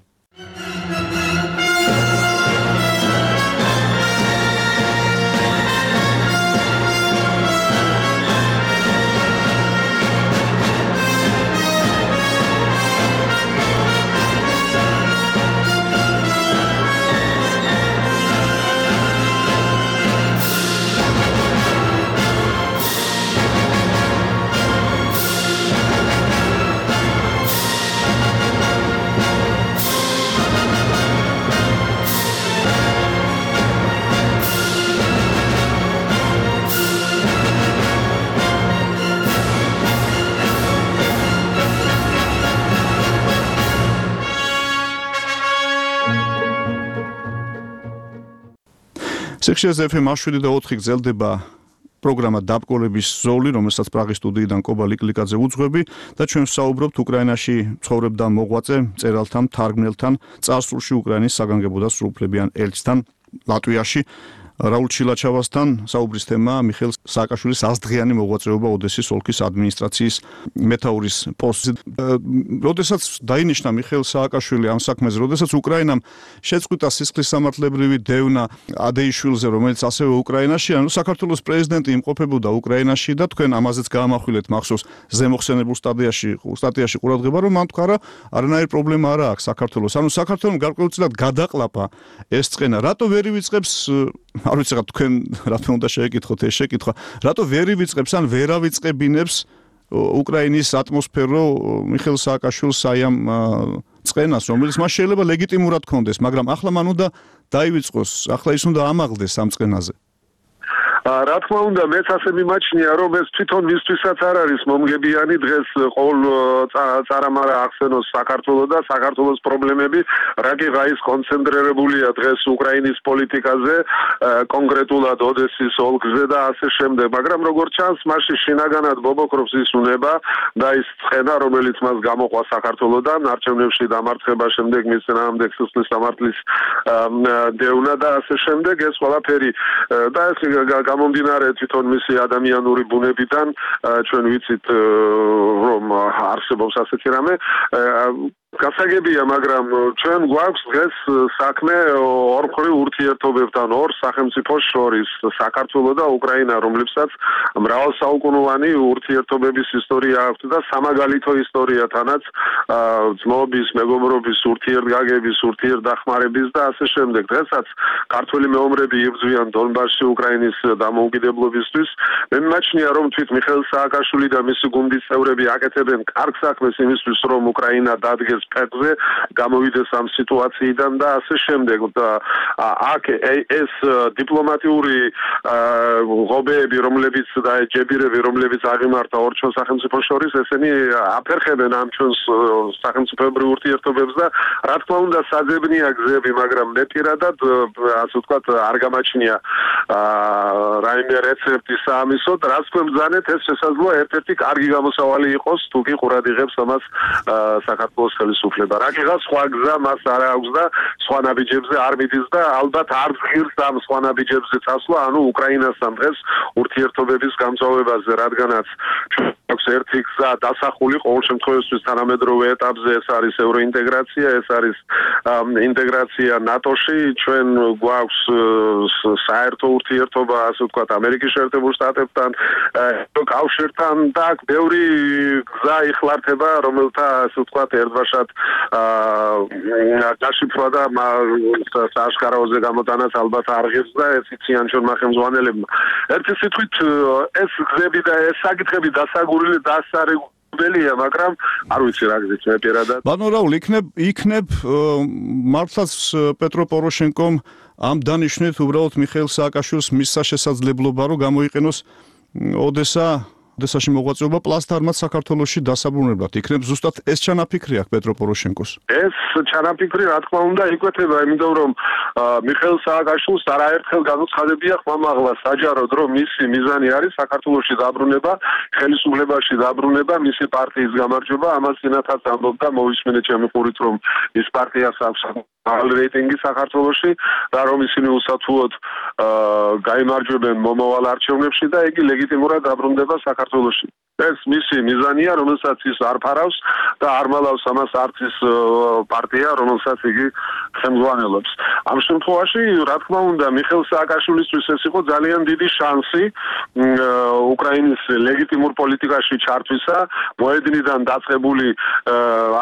S1: სექციაზე FM 107.4 გრძელდება პროგრამა დაბრკოლების ზოლი, რომელსაც პრაღის სტუდიიდან კობა ლიკლიკაძე უძღვები და ჩვენ ვსაუბრობთ უკრაინაში ცხოვრებდა მოღვაწე, მწერალთან, მთარგმნელთან, წარსულში უკრაინის საგანგებო და სრულუფლებიან ელჩთან ლატვიაში. რაულ ჩილაჩავასთან საუბრის თემა მიხეილ სააკაშვილის 100 დღიანი მოღვაწეობა ოდესის ოლქის ადმინისტრაციის მეთაურის პოსტზე. როდესაც დაინიშნა მიხეილ სააკაშვილი ამ საქმეზე, როდესაც უკრაინამ შეწყვიტა სისხლისამართლებრივი დევნა ადეიშვილზე, რომელიც ასევე უკრაინაში, ანუ საქართველოს პრეზიდენტი იმყოფებოდა უკრაინაში და თქვენ ამაზეც გაამახვილეთ მახსოვს ზემოხსენებულ სტატიაში ყურადღება, რომ მან თქვა, არანაირი პრობლემა არ აქვს საქართველოს. ანუ საქართველოს გარკვეულწილად გადაყლაპა ეს წყენა. რატო ვერ ივიწყებს არ ვიცი რა თქვენ რა თქმა უნდა შეეკითხოთ ეს შეკითხვა, რატო ვერ ივიწყებს ან ვერ ავიწყებინებს უკრაინის ატმოსფერო მიხეილ სააკაშვილს აი ამ წყენას, რომელიც მას შეიძლება ლეგიტიმურად ქონდეს, მაგრამ ახლა მან უნდა დაივიწყოს, ახლა ის უნდა ამაღლდეს ამ წყენაზე.
S8: რა თქმა უნდა, მეც ასე მიმაჩნია, რომ ეს თვითონ მისთვისაც არ არის მომგებიანი დღეს ყოველ წარამარა ახსენოს საქართველოს და საქართველოს პრობლემები, რაკიღაის კონცენტრირებულია დღეს უკრაინის პოლიტიკაზე, კონკრეტულად ოდესის ოლქზე და ასე შემდეგ, მაგრამ როგორც ჩანს, მასში შინაგანად ბობოქრობს ის უნება და ის ცხენა, რომელიც მას გამოყვა საქართველოსთან, არჩევნებში დამარცხება შემდეგ მის წინააღმდეგ სისხლისამართლის დევნა და ასე შემდეგ, ეს ყველაფერი და ეს გამომდინარე თვითონ მისი ადამიანური ბუნებიდან ჩვენ ვიცით რომ არსებობს ასეთი რამე გასაგებია, მაგრამ ჩვენ გვაქვს დღეს საქმე ორმხრივ ურთიერთობებთან ორ სახელმწიფოს შორის, საქართველო და უკრაინა, რომლებსაც მრავალსაუკუნოვანი ურთიერთობების ისტორია აქვს და სამაგალითო ისტორიათანაც ძმობის, მეგობრობის, ურთიერთგაგების, ურთიერთდახმარების და ასე შემდეგ. დღესაც ქართველი მეომრები იბრძვიან დონბასში უკრაინის დამოუკიდებლობისთვის. მე მიმაჩნია, რომ თვით მიხეილ სააკაშვილი და მისი გუნდის წევრები აკეთებენ კარგ საქმეს იმისთვის, რომ უკრაინა დადგეს ფეხზე, გამოვიდეს ამ სიტუაციიდან და ასე შემდეგ. და აქ ეს დიპლომატიური ღობეები, რომლებიც და ჯებირები, რომლებიც აღიმართა ორ ჩვენ სახელმწიფოს შორის, ესენი აფერხებენ ამ ჩვენს სახელმწიფოებრივ ურთიერთობებს და რა თქმა უნდა საძებნია გზები, მაგრამ მე პირადად ასე ვთქვათ არ გამაჩნია რაიმე რეცეპტი საამისოდ, რაც თქვენ ბრძანეთ, ეს შესაძლოა ერთ-ერთი კარგი გამოსავალი იყოს, თუ კი ყურად იღებს ამას საქართველოს ხელისუფლება. რაკიღა სხვა გზა მას არ აქვს და სხვა ნაბიჯებზე არ მიდის და ალბათ არ ღირს ამ სხვა ნაბიჯებზე წასვლა, ანუ უკრაინასთან დღეს ურთიერთობების გამწვავებაზე, რადგანაც აქვს ერთი გზა დასახული ყოველ შემთხვევაში თანამედროვე ეტაპზე, ეს არის ევროინტეგრაცია, ეს არის ინტეგრაცია ნატოში, ჩვენ გვაქვს საერთო ურთიერთობა, ასე ვთქვათ, ამერიკის შეერთებულ შტატებთან, კავშირთან და ბევრი გზა იხლართება, რომელთა ასე ვთქვათ, ერთბაშად გაშიფრვა და საშკარავზე გამოტანაც ალბათ არ ღირს და ეს იციან ჩვენმა ხელმძღვანელებმა. ერთი სიტყვით ეს გზები და ეს საკითხები დასარეგულირებელია, მაგრამ არ ვიცი რა გზით მე პირადად.
S1: ბატონ რაულ, იქნებ მართლაც პეტრო პოროშენკომ ამ დანიშნით უბრალოდ მიხეილ სააკაშვილს მისცა შესაძლებლობა, რომ გამოიყენოს ოდესაში მოღვაწეობა პლასტარმად საქართველოში დასაბრუნებლად. იქნებ ზუსტად ეს ჩანაფიქრი აქვს პეტრო პოროშენკოს.
S8: ეს ჩანაფიქრი რა თქმა უნდა იკვეთება, იმიტომ რომ მიხეილ სააკაშვილს არაერთხელ განუცხადებია ხმამაღლა საჯაროდ, რომ მისი მიზანი არის საქართველოში დაბრუნება, ხელისუფლებაში დაბრუნება, მისი პარტიის გამარჯვება. ამას წინათაც ამბობდა, მოვისმენეთ ჩემი ყურით, რომ ის პარტიას აქვს მაღალი რეიტინგი საქართველოში და რომ ისინი უსათუოდ გაიმარჯვებენ მომავალ არჩევნებში და იგი ლეგიტიმურად დაბრუნდება საქართველოში. ეს მისი მიზანია, რომელსაც ის არ ფარავს და არ მალავს ამას არც ის პარტია, რომელსაც იგი ხელმძღვანელობს. ამ შემთხვევაში, რა თქმა უნდა, მიხეილ სააკაშვილისთვის ეს იყო ძალიან დიდი შანსი უკრაინის ლეგიტიმურ პოლიტიკაში ჩართვისა. მოედნიდან დაწყებული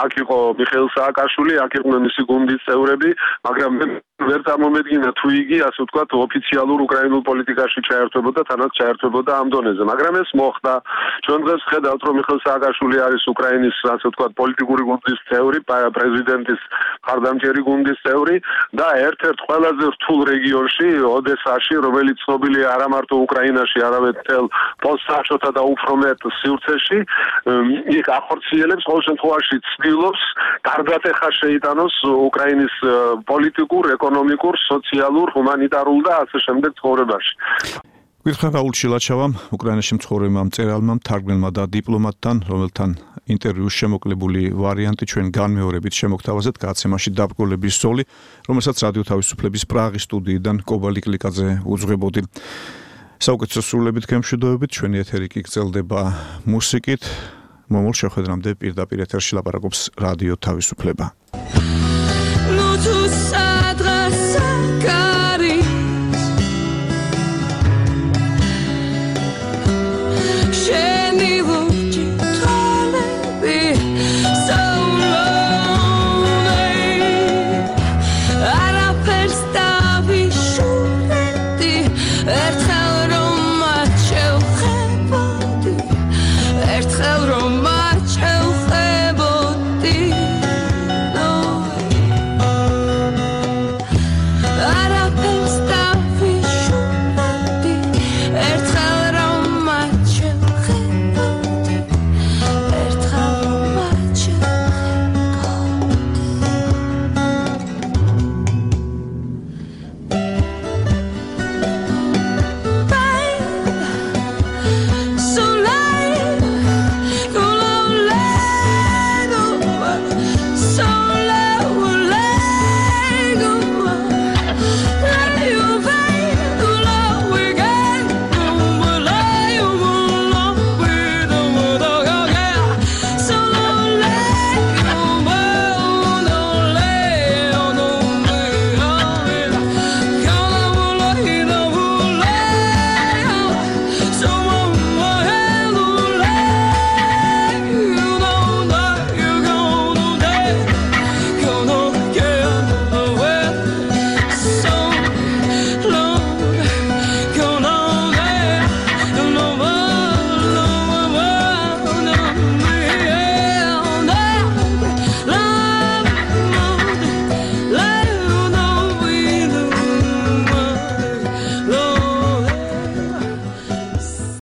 S8: აქ იყო მიხეილ სააკაშვილი, აქ იყვნენ მისი გუნდის წევრები, მაგრამ ვერ წარმომედგინა თუ იგი, ასე ვთქვათ, ოფიციალურ უკრაინულ პოლიტიკაში ჩაერთვებოდა, თანაც ჩაერთვებოდა ამ დონეზე. მაგრამ ეს მოხდა. ჩვენ დღეს ხედავთ, რომ მიხეილ სააკაშვილი არის უკრაინის, ასე ვთქვათ, პოლიტიკური გუნდის წევრი, პრეზიდენტის მხარდამჭერი გუნდის წევრი და ერთ-ერთ ყველაზე რთულ რეგიონში, ოდესაში, რომელიც ცნობილია არა მარტო უკრაინაში, არამედ მთელ პოსტსაჩოთა და უფრო მეტ სივრცეში, იქ ახორციელებს, ყოველ შემთხვევაში ცდილობს გარდატეხა შეიტანოს უკრაინის პოლიტიკურ, ეკონომიკურ, სოციალურ, ჰუმანიტარულ და ასე შემდეგ ცხოვრებაში.
S1: გითხრა რაულ შილაჩავამ, უკრაინაში მცხოვრებმა მწერალმა, მთარგმნელმა და დიპლომატთან, რომელთან ინტერვიუს შემოკლებული ვარიანტი ჩვენ განმეორებით შემოგთავაზეთ გაცემაში დაბრკოლების ზოლი, რომელსაც რადიო თავისუფლების პრაღის სტუდიიდან კობალი კლიკაძე უძღვებოდი. საუკეთესო სრულებით გემშვიდობებით, ჩვენი ეთერი კი გრძელდება მუსიკით. მომავალ შეხვედრამდე პირდაპირ ეთერში ლაპარაკობს რადიო თავისუფლება.